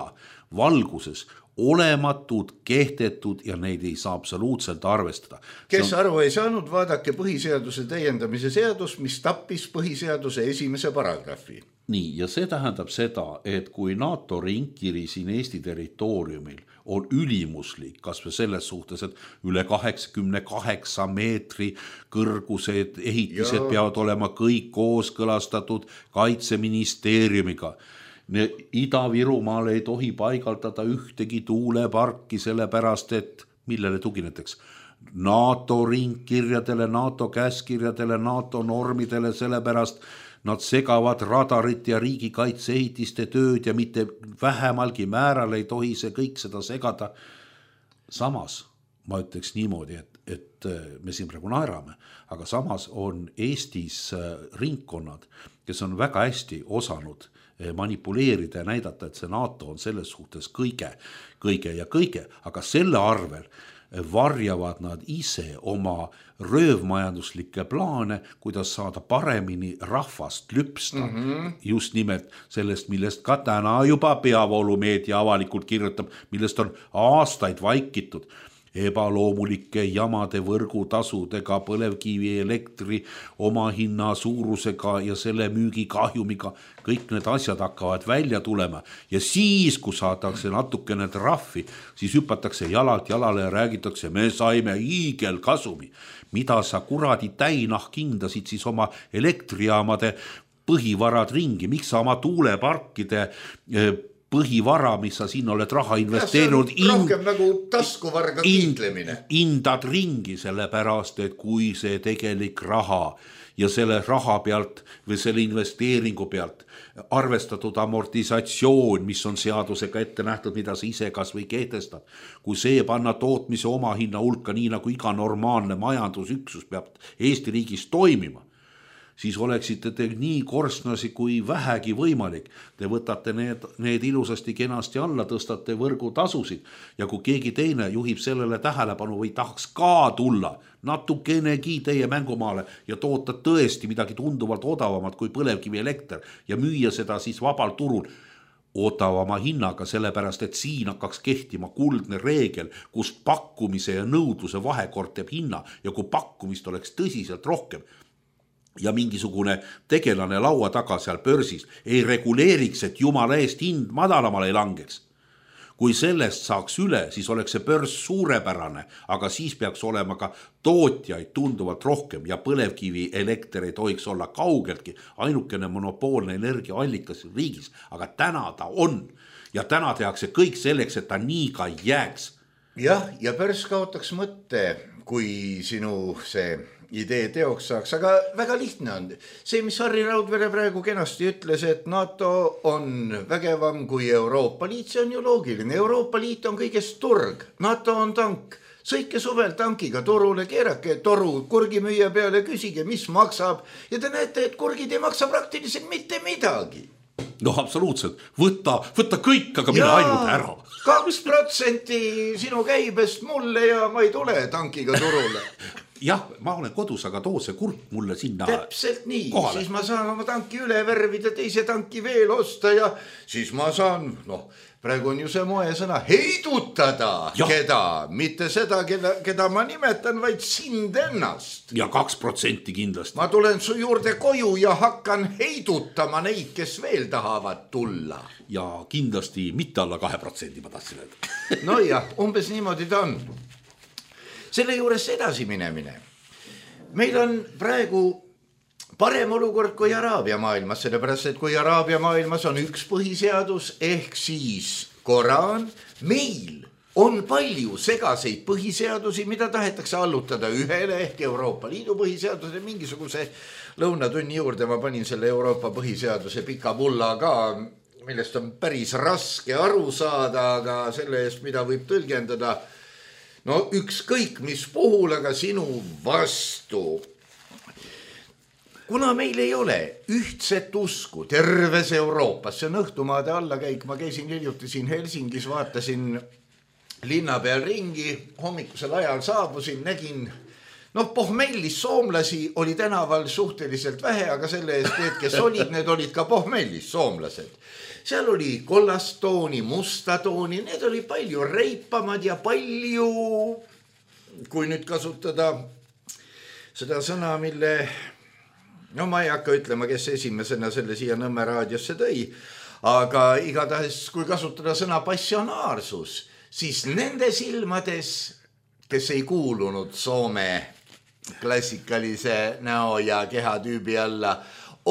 valguses olematud, kehtetud ja neid ei saa absoluutselt arvestada. Kes on... aru ei saanud, vaadake põhiseaduse täiendamise seadus, mis tappis põhiseaduse esimese paragrahvi. Nii, ja see tähendab seda, et kui NATO ringkiri siin Eesti territooriumil on ülimuslik, kas või selles suhtes, et üle kaheksakümne kaheksa meetri kõrgused ehitised ja. Peavad olema kõik kooskõlastatud Kaitseministeeriumiga. Ida-Virumaal ei tohi paigaldada ühtegi tuuleparki sellepärast, et millele tugineteks? NATO ringkirjadele, NATO käskirjadele, NATO normidele, sellepärast nad segavad radarit ja riigikaitseehitiste tööd ja mitte vähemalgi määral ei tohi see kõik seda segada. Samas ma ütleks niimoodi, et, et me siin praegu naerame, aga samas on Eestis ringkonnad, kes on väga hästi osanud manipuleerida ja näidata, et see NATO on selles suhtes kõige, kõige ja kõige, aga selle arvel varjavad nad ise oma röövmajanduslikke plaane, kuidas saada paremini rahvast lüpsta. Mm-hmm. Just nimelt sellest, millest ka täna juba peavoolumeedia avalikult kirjutab, millest on aastaid vaikitud. Ebaloomulike jamade võrgutasudega, põlevkivi elektri oma hinna suurusega ja selle müügikahjumiga. Kõik need asjad hakkavad välja tulema. Ja siis, kui saadakse natukene trahvi, siis hüpatakse jalalt jalale ja räägitakse, me saime hiigel kasumi. Mida sa kuradi täinah kindasid siis oma elektrijaamade põhivarad ringi? Miks sa oma tuuleparkide põhivara, mis sa siin oled raha investeerinud, ja, rohkem in, nagu taskuvarga kiitlemine. Indad ringi sellepärast, et kui see tegelik raha ja selle raha pealt või selle investeeringu pealt arvestatud amortisatsioon, mis on seadusega ette nähtud, mida sa ise kas või kehtestad, kui see panna tootmise oma hinna hulka, nii nagu iga normaalne majandusüksus peab Eesti riigis toimima, siis oleksite te nii korstnasi kui vähegi võimalik. Te võtate need, need ilusasti kenasti alla, tõstate võrgutasusid ja kui keegi teine juhib sellele tähelepanu või tahaks ka tulla natukenegi teie mängumaale ja toota tõesti midagi tunduvalt odavamat kui põlevkivi elekter ja müüa seda siis vabal turul odavama hinnaga, sellepärast et siin hakkaks kehtima kuldne reegel, kus pakkumise ja nõudluse vahekord teeb hinna ja kui pakkumist oleks tõsiselt rohkem, ja mingisugune tegelane laua taga seal börsis ei reguleeriks, et jumala eest hind madalamale ei langeks. Kui sellest saaks üle, siis oleks see börs suurepärane, aga siis peaks olema ka tootjaid tunduvalt rohkem ja põlevkivi elekter ei tohiks olla kaugeltki ainukene monopoolne energiaallikas riigis, aga täna ta on ja täna tehakse kõik selleks, et ta nii ka jääks. Jah, ja börs kaotaks mõtte, kui sinu see idee teoks saaks, aga väga lihtne on. See, mis Harri Raudvere praegu kenasti ütles, et NATO on vägevam kui Euroopa Liit, see on ju loogiline. Euroopa Liit on kõigest turg, NATO on tank. Sõike suvel tankiga turule, keerake toru kurgimüüja peale, küsige, mis maksab ja te näete, et kurgid ei maksa praktiliselt mitte midagi. No absoluutselt, võtta, võtta kõik, aga mine ainult ära. Kaks protsenti sinu käibest mulle ja ma ei tule tankiga turule. jah, ma olen kodus, aga too see kurk mulle sinna täpselt nii, kohale. Siis ma saan oma tanki üle värvida, teise tanki veel osta ja siis ma saan, noh, praegu on ju see moesõna heidutada ja. Keda, mitte seda, keda, keda ma nimetan, vaid sind ennast. Ja kaks protsenti kindlasti. Ma tulen su juurde koju ja hakkan heidutama neid, kes veel tahavad tulla. Ja kindlasti mitte alla kahe protsendi ma tahtsin öelda. No jah, umbes niimoodi ta on. Selle juures edasi minemine. Meil on praegu parem olukord kui Araabia maailmas, sellepärast, et kui Araabia maailmas on üks põhiseadus ehk siis Koraan, meil on palju segaseid põhiseadusi, mida tahetakse allutada ühele ehk Euroopa Liidu põhiseaduse, mingisuguse lõunatunni juurde ma panin selle Euroopa põhiseaduse pika pulla ka, millest on päris raske aru saada, aga selle eest, mida võib tõlgendada, no ükskõik mis puhul, aga sinu vastu. Kuna meil ei ole ühtset usku terves Euroopas, see on õhtumaade allakäik, ma käisin hiljuti siin Helsingis, vaatasin linna peal ringi, hommikusel ajal saabusin, nägin, noh, pohmellis soomlasi oli tänaval suhteliselt vähe, aga selle eest need, kes olid, need olid ka pohmellis soomlased. Seal oli kollast tooni, musta tooni, need oli palju reipamad ja palju, kui nüüd kasutada seda sõna, mille... No ma ei hakka ütlema, kes esimesena selle siia Nõmme raadiosse tõi, aga igatahes, kui kasutada sõna passionaarsus, siis nende silmades, kes ei kuulunud Soome klassikalise näo ja kehatüübi alla,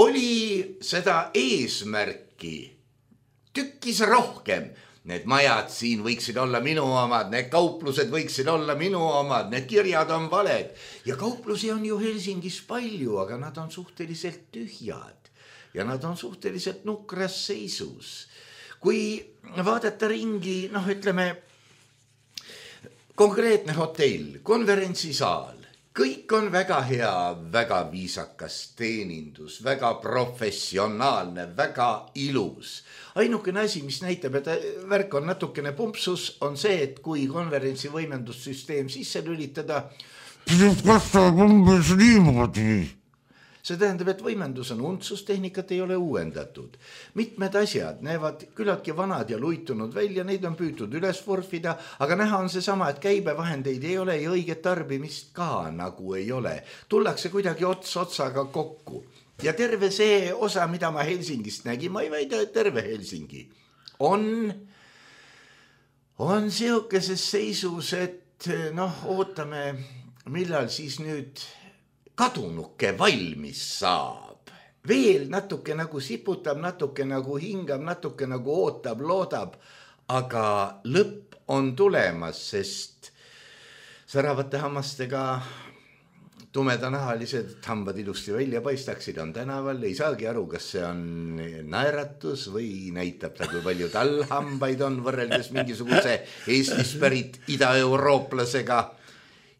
oli seda eesmärki tükkis rohkem. Need majad siin võiksid olla minu omad, need kauplused võiksid olla minu omad, need kirjad on valed. Ja kauplusi on ju Helsingis palju, aga nad on suhteliselt tühjad ja nad on suhteliselt nukras seisus. Kui vaadata ringi, noh ütleme, konkreetne hotell, konverentsisaal, kõik on väga hea, väga viisakas teenindus, väga professionaalne, väga ilus. Ainukene asi, mis näitab, et värk on natukene pumpsus, on see, et kui konverentsi võimendussüsteem sisse lülitada, see tähendab, et võimendus on untsustehnikat ei ole uuendatud. Mitmed asjad näevad küllaltki vanad ja luitunud välja, neid on püütud üles vorfida, aga näha on see sama, et käibevahendeid ei ole ja õiget tarbimist ka nagu ei ole. Tullakse kuidagi ots otsaga kokku. Ja terve see osa, mida ma Helsingist nägin, ma ei väida, et terve Helsingi, on, on seokeses seisus, et noh, ootame, millal siis nüüd kadunuke valmis saab. Veel natuke nagu siputab, natuke nagu hingab, natuke nagu ootab, loodab, aga lõpp on tulemas, sest säravate hammastega tumedanahalised hambad ilusti välja paistaksid, on tänaval, ei saagi aru, kas see on naeratus või näitab ta, kui palju tal hambaid on võrreldes mingisuguse Eestist pärit ida-eurooplasega.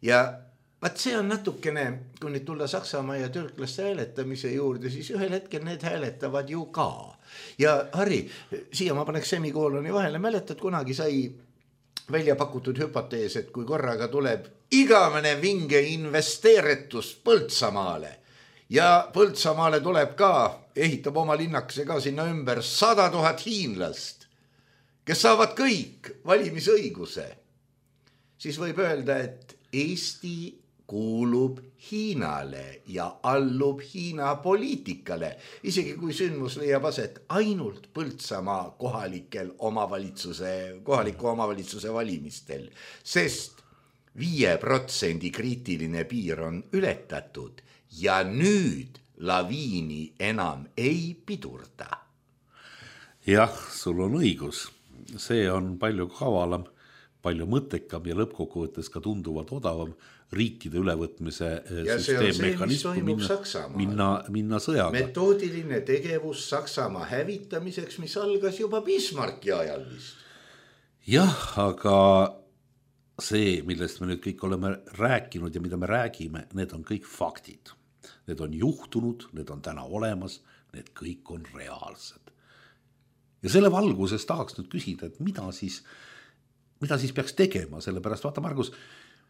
Ja vaat see on natukene, kui nüüd tulla Saksamaa ja türklaste hääletamise juurde, siis ühel hetkel need hääletavad ju ka. Ja Harri, siia ma paneks semikooloni vahele, mäletad, kunagi sai välja pakutud hüpotees, et kui korraga tuleb igavene vinge investeeritus Põltsamaale ja Põltsamaale tuleb ka, ehitab oma linnakese ka sinna ümber sada tuhat hiinlast, kes saavad kõik valimisõiguse, siis võib öelda, et Eesti kuulub Hiinale ja allub Hiina poliitikale, isegi kui sündmus leiab aset ainult Põltsamaa kohalikel omavalitsuse, kohaliku omavalitsuse valimistel, sest viie protsendi kriitiline piir on ületatud ja nüüd laviini enam ei pidurda. Jah, sul on õigus. See on palju kavalam, palju mõttekam ja lõppkokkuvõttes ka tunduvalt odavam riikide ülevõtmise ja süsteemmekanism minna, minna, minna sõjaga. Metoodiline tegevus Saksamaa hävitamiseks, mis algas juba Bismarcki ajal vist. Jah, aga see, millest me nüüd kõik oleme rääkinud ja mida me räägime, need on kõik faktid. Need on juhtunud, need on täna olemas, need kõik on reaalsed. Ja selle valguses tahaks nüüd küsida, et mida siis, mida siis peaks tegema, sellepärast vaata, Margus,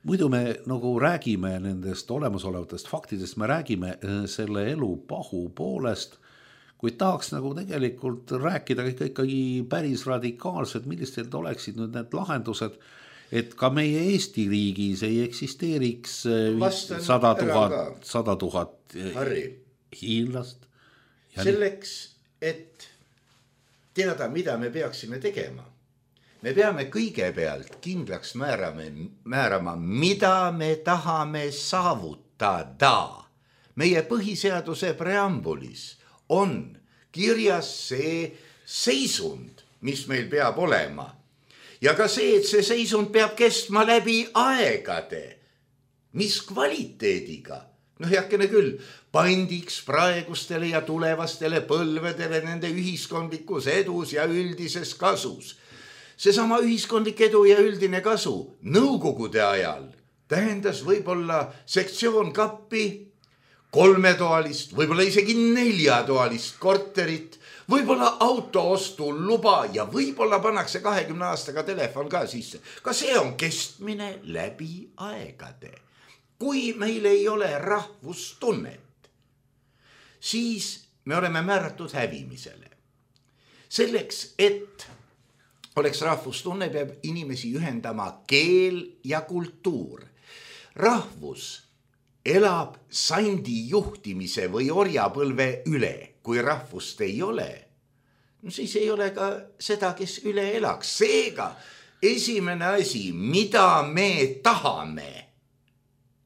muidu me nagu räägime nendest olemasolevatest faktidest, me räägime selle elu pahu poolest, kuid tahaks nagu tegelikult rääkida ikkagi päris radikaalselt, millised oleksid nüüd need lahendused, et ka meie Eesti riigis ei eksisteeriks sada tuhat, sada tuhat hiinlast. Selleks, et teada, mida me peaksime tegema, me peame kõigepealt kindlaks määrama, määrama, mida me tahame saavutada. Meie põhiseaduse preambulis on kirjas see seisund, mis meil peab olema. Ja ka see, et see seisund peab kestma läbi aegade. Mis kvaliteediga? No heakene küll, pandiks praegustele ja tulevastele põlvedele nende ühiskondlikus edus ja üldises kasus. Seesama ühiskondlik edu ja üldine kasu nõukogude ajal tähendas võib-olla sektsioon kappi, kolmetoalist, võib-olla isegi neljatoalist korterit, võib-olla auto ostu luba ja võib-olla pannakse kahekümne aastaga telefon ka sisse. Ka see on kestmine läbi aegade. Kui meil ei ole rahvustunnet, siis me oleme määratud hävimisele. Selleks, et oleks rahvustunne, peab inimesi ühendama keel ja kultuur. Rahvus elab sandi juhtimise või orjapõlve üle. Kui rahvust ei ole, no siis ei ole ka seda, kes üle elaks. Seega esimene asi, mida me tahame.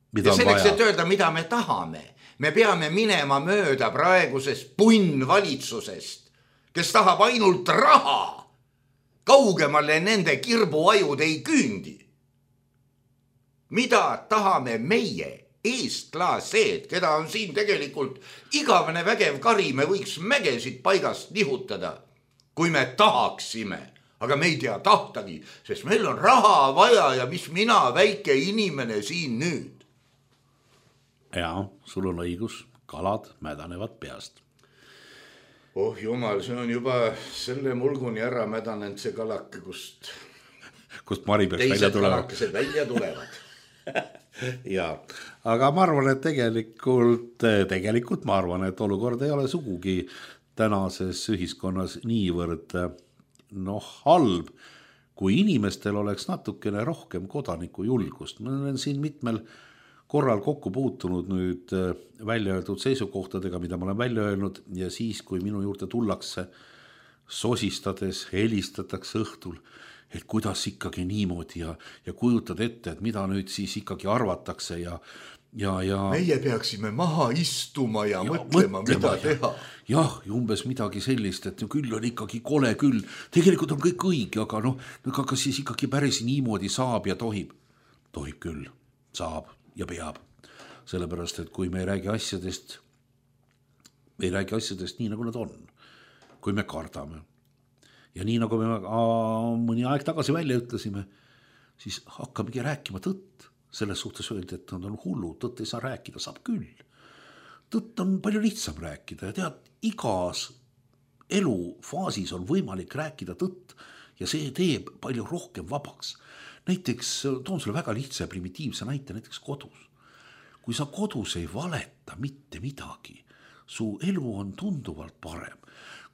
Mida ja selleks, vaja? Et öelda, mida me tahame, me peame minema mööda praegusest punnvalitsusest, kes tahab ainult raha. Kaugemale nende kirbuajud ei küündi. Mida tahame meie? Eestlased, keda on siin tegelikult igavene vägev kari, me võiks mägesid paigast nihutada, kui me tahaksime, aga me ei tea tahtagi, sest meil on raha vaja ja mis mina, väike inimene siin nüüd. Jaa, sul on õigus, kalad mädanevad peast. Oh jumal, see on juba selle mulguni ära mädanenud see kalake, kust, kust Mari peaks välja tulevad. Teised kalakesed välja tulevad. Ja, aga ma arvan, et tegelikult, tegelikult ma arvan, et olukord ei ole sugugi tänases ühiskonnas niivõrd noh, halb, kui inimestel oleks natukene rohkem kodaniku julgust. Ma olen siin mitmel korral kokku puutunud nüüd välja öeldud seisukohtadega, mida ma olen välja öelnud ja siis, kui minu juurde tullakse sosistades, helistatakse õhtul, et kuidas ikkagi niimoodi ja, ja kujutad ette, et mida nüüd siis ikkagi arvatakse ja, ja, ja meie peaksime maha istuma ja, ja mõtlema, mõtlema, mida ja, teha. Jah, umbes midagi sellist, et küll on ikkagi kole küll. Tegelikult on kõik õige, aga noh, aga siis ikkagi päris niimoodi saab ja tohib. Tohib küll, saab ja peab. Sellepärast, et kui me ei räägi asjadest, ei räägi asjadest nii, nagu nad on. Kui me kardame. Ja nii nagu me mõni aeg tagasi välja ütlesime, siis hakkamegi rääkima tõtt. Selles suhtes öeldi, et nad on hullu, tõtt ei saa rääkida, saab küll. Tõtt on palju lihtsam rääkida ja tead, igas elufaasis on võimalik rääkida tõtt ja see teeb palju rohkem vabaks. Näiteks, toon sulle väga lihtsa ja primitiivse näite, näiteks kodus. Kui sa kodus ei valeta mitte midagi, su elu on tunduvalt parem.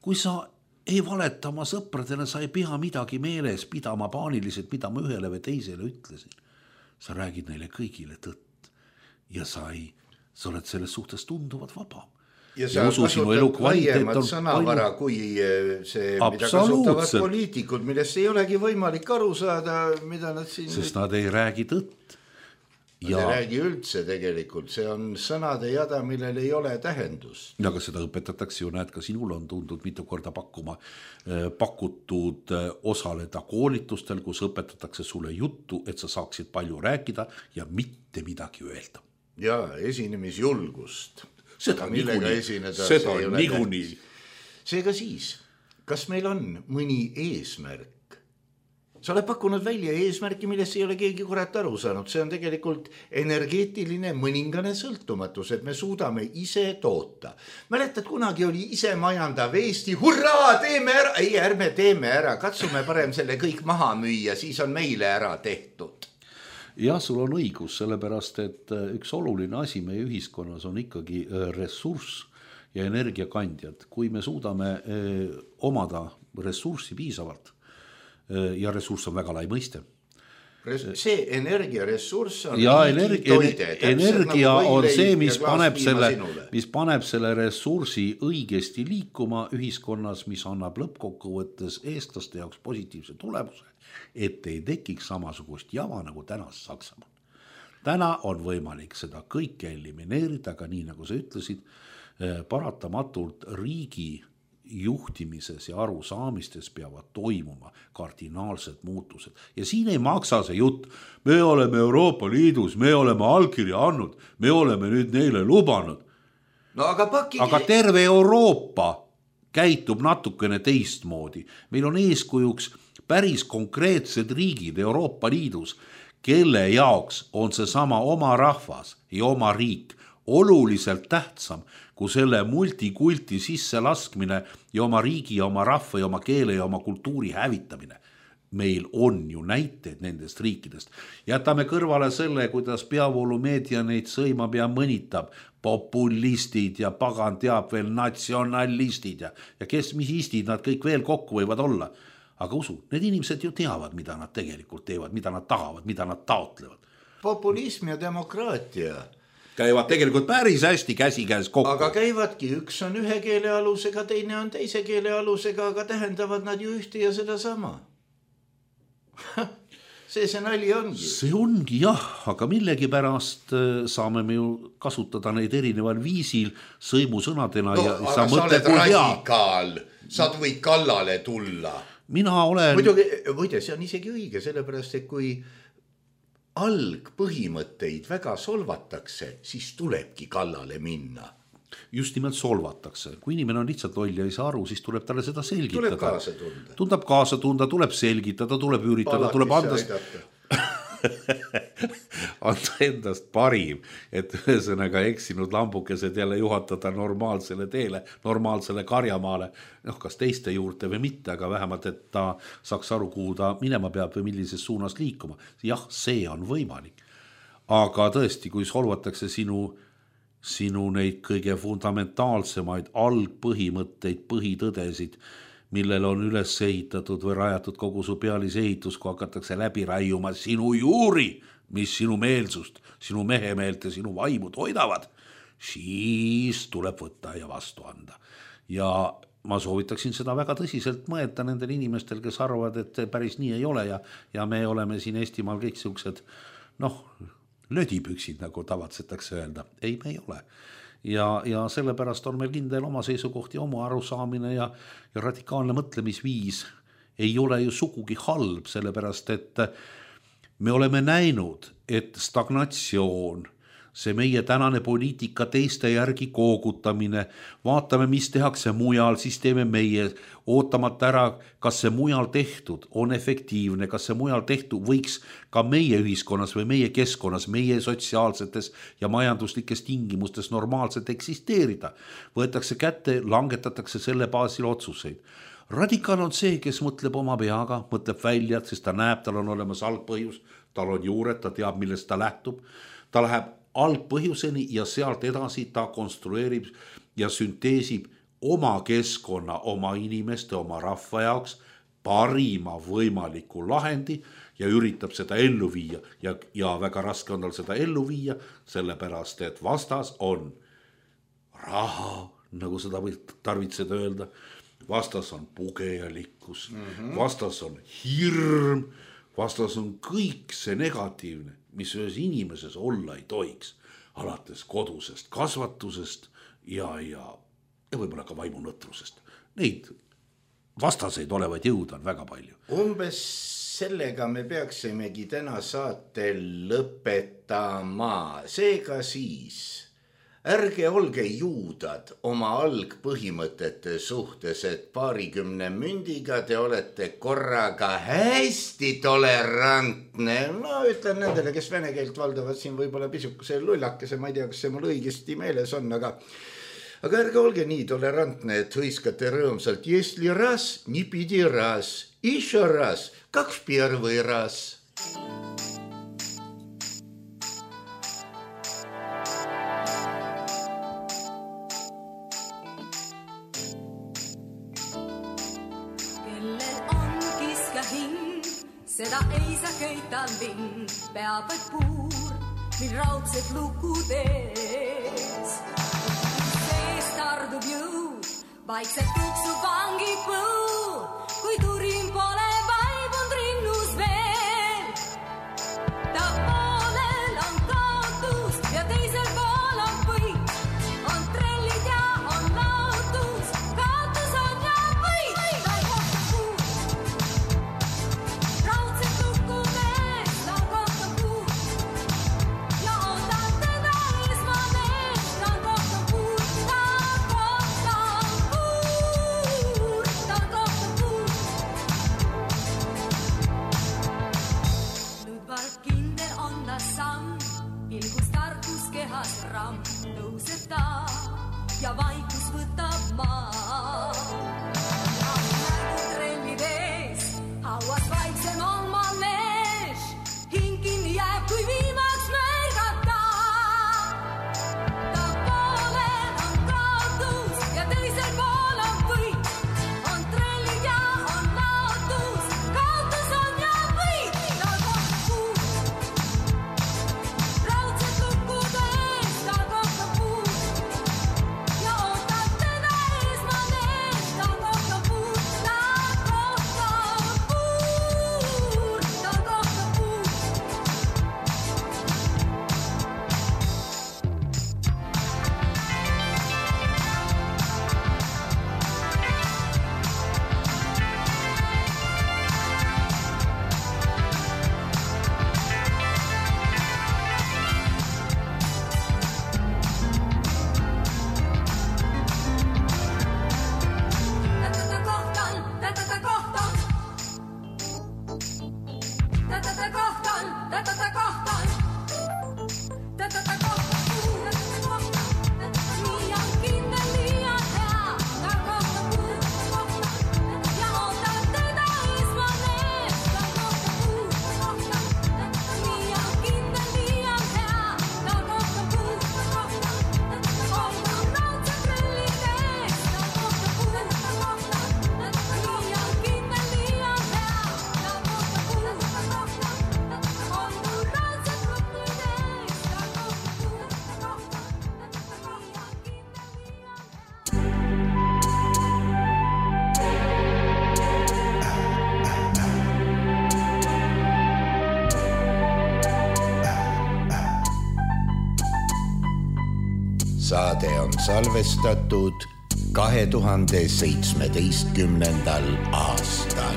Kui sa ei valeta oma sõpradele, sa ei pea midagi meeles pidama paaniliselt, mida ma ühele või teisele ütlesin. Sa räägid neile kõigile tõtt ja sa, ei, sa oled selles suhtes tunduvalt vabam. Ja sa kasutad laiemat sõnavara kui see, mida kasutavad poliitikud, millest ei olegi võimalik aru saada, mida nad siin... Sest nad ei räägi tõtt. Ja... Nad ei räägi üldse tegelikult, see on sõnade jada, millel ei ole tähendust. Aga seda õpetatakse ju, näed, ka sinul on tundnud mitu korda pakkuma, pakutud osaleda koolitustel, kus õpetatakse sulle juttu, et sa saaksid palju rääkida ja mitte midagi öelda. Ja esinemisjulgust. Seda niikuinii, seda niikuinii. Seega siis, kas meil on mõni eesmärk? Sa oled pakkunud välja eesmärki, millest ei ole keegi kurat aru saanud. See on tegelikult energeetiline mõningane sõltumatus, et me suudame ise toota. Mäletad, kunagi oli ise majandav Eesti, hurraa, teeme ära. Ei, ärme teeme ära, katsume parem selle kõik maha müüa, siis on meile ära tehtud. jah, sul on õigus, sellepärast, et üks oluline asi meie ühiskonnas on ikkagi ressurss ja energiakandjad. Kui me suudame omada ressurssi piisavalt ja ressurss on väga lai mõiste. See energiaressurss on ja energia, energia nagu on see, mis paneb, selle, mis paneb selle ressursi õigesti liikuma ühiskonnas, mis annab lõppkokkuvõttes eestlaste jaoks positiivse tulemuse, et ei tekiks samasugust java nagu tänas Saksamaal. Täna on võimalik seda kõike elimineerida, aga nii nagu sa ütlesid, paratamatult riigi juhtimises ja arusaamistes peavad toimuma kardinaalsed muutused. Ja siin ei maksa see jutt, me oleme Euroopa Liidus, me oleme allkirja andnud, me oleme nüüd neile lubanud. No, aga, pakki... aga terve Euroopa käitub natukene teistmoodi. Meil on eeskujuks päris konkreetsed riigid Euroopa Liidus, kelle jaoks on see sama oma rahvas ja oma riik oluliselt tähtsam kui selle multikulti sisse laskmine ja oma riigi ja oma rahva ja oma keele ja oma kultuuri hävitamine. Meil on ju näiteid nendest riikidest. Jätame kõrvale selle, kuidas peavoolumeedia neid sõimab ja mõnitab. Populistid ja pagan teab veel natsionalistid ja, ja kes mis istid nad kõik veel kokku võivad olla. Aga usu, need inimesed ju teavad, mida nad tegelikult teevad, mida nad tahavad, mida nad taotlevad. Populism ja demokraatia käivad tegelikult päris hästi käsikäes kokku. Aga käivadki, üks on ühe keele alusega, teine on teise keele alusega, aga tähendavad nad ju ühte ja seda sama. See see nali ongi. See ongi jah, aga millegi pärast saame me ju kasutada neid erineval viisil sõimusõnadena. No, ja aga sa, sa oled radikaal, sa võid kallale tulla. Mina olen... Muidugi, võide, see on isegi õige, sellepärast, et kui algpõhimõtteid väga solvatakse, siis tulebki kallale minna. Just nimelt solvatakse. Kui inimene on lihtsalt loll ja ei saa aru, siis tuleb talle seda selgitada. Tuleb kaasa tunda. Tundab kaasa tunda, tuleb selgitada, tuleb üritada, Palati tuleb andast... anda endast parim, et ühesõnaga eksinud lambukesed jälle juhatada normaalsele teele, normaalsele karjamaale, noh, kas teiste juurde või mitte, aga vähemalt, et ta saaks aru, kuhu ta minema peab või millises suunas liikuma. Jah, see on võimalik. Aga tõesti, kui solvatakse sinu, sinu neid kõige fundamentaalsemaid algpõhimõtteid, põhitõdesid, millel on üles ehitatud või rajatud kogu su pealise ehitus, kui hakatakse läbi raiuma sinu juuri, mis sinu meelsust, sinu mehemeelt ja sinu vaimu toidavad, siis tuleb võtta ja vastu anda. Ja ma soovitaksin seda väga tõsiselt mõelda nendel inimestel, kes arvavad, et päris nii ei ole ja, ja me oleme siin Eestimaal kõik siuksed, noh, lödipüksid, nagu tavatsetakse öelda. Ei, me ei ole. Ja, ja sellepärast on meil kindel oma seisukoht ja oma arusaamine ja, ja radikaalne mõtlemisviis ei ole ju sugugi halb, sellepärast et me oleme näinud, et stagnatsioon, see meie tänane poliitika teiste järgi koogutamine, vaatame, mis tehakse mujal, siis teeme meie, ootamata ära, kas see mujal tehtud on efektiivne, kas see mujal tehtud võiks ka meie ühiskonnas või meie keskkonnas, meie sotsiaalsetes ja majanduslikes tingimustes normaalselt eksisteerida. Võetakse kätte, langetatakse selle baasil otsuseid. Radikaal on see, kes mõtleb oma peaga, mõtleb välja, sest ta näeb, tal on olemas algpõhjus, tal on juured, ta teab, millest ta lähtub, ta läheb algpõhjuseni ja sealt edasi ta konstrueerib ja sünteesib oma keskkonna, oma inimeste, oma rahva jaoks parima võimaliku lahendi ja üritab seda ellu viia ja, ja väga raske on tal seda ellu viia, sellepärast et vastas on raha, nagu seda võib tarvitseda öelda, vastas on pugejalikkus, mm-hmm. vastas on hirm, vastas on kõik see negatiivne, mis ühes inimeses olla ei tohiks, alates kodusest kasvatusest ja, ja, ja võib-olla ka vaimunõtrusest. Neid vastaseid olevaid jõud on väga palju. Umbes sellega me peaksimegi täna saate lõpetama. Seega siis, ärge olge juudad oma algpõhimõtete suhtes, et paarikümne mündiga te olete korraga hästi tolerantne. No ütlen nendele, kes vene keelt valdavad siin võib-olla pisukese lullakese, ma ei tea, kas see mul õigesti meeles on, aga, aga ärge olge nii tolerantne, et hõiskate rõõmsalt, если раз, не пиди раз, еще раз, как в первый раз. Seda ei saa köita linn, peab vaid puur, mil raudsed luku tees. Sees tardub jõud, vaikselt tuksub vangi põu, kui turin pole vaibunud rinnus veel. Ta poolel on kaotus ja teisel pool on võit, on trellid ja on laotus, kaotus on ja võit. Ta kohtab puud, raudselt lukku mees, ta kohtab puud ja ootab teda esmanees. Ta kohtab puud, ta kohtab puud, ta kohtab puud. Ludvar kindel on ta samm, ilgus tarkus kehas ramm, tõuseb ta ja vaikus võtab maa. Nägu trellid ees, hauas vaiksem on manees, hing kinni jääb, kui viimaks märgata. Ta poolel on kaotus ja teisel pool on võit, on trellid ja on laotus, kaotus on ja võit. Ta kohtab puud, raudselt lukkude ees, ta kohtab puud ja ootab teda esmanees. Ta kohtab puud, ta kohtab puud, ta kohtab puud. Tätä kohtaan, tätä kohtaan. Tätä kohtaan, tätä kohtaan. Tätä kohtaan, tätä kohtaan. Liian kindel, liian hea. Ta kohtab puud, kohtaan. Ja ootab teda esmanees. Ta kohtab puud, kohtaan. Liian kindel, liian hea. Ta kohtab puud, kohtaan. Ootab raudselt trellid ees. Ta kohtab puud, kohtaan. Liian kindel, liian hea. Ta kohtab puud, kohtaan. Ootab raudselt trellid ees. Ta kohtab puud, kohtaan. Liian kindel, liian hea. Saade on salvestatud kahe tuhande seitsmeteistkümnendal aastal.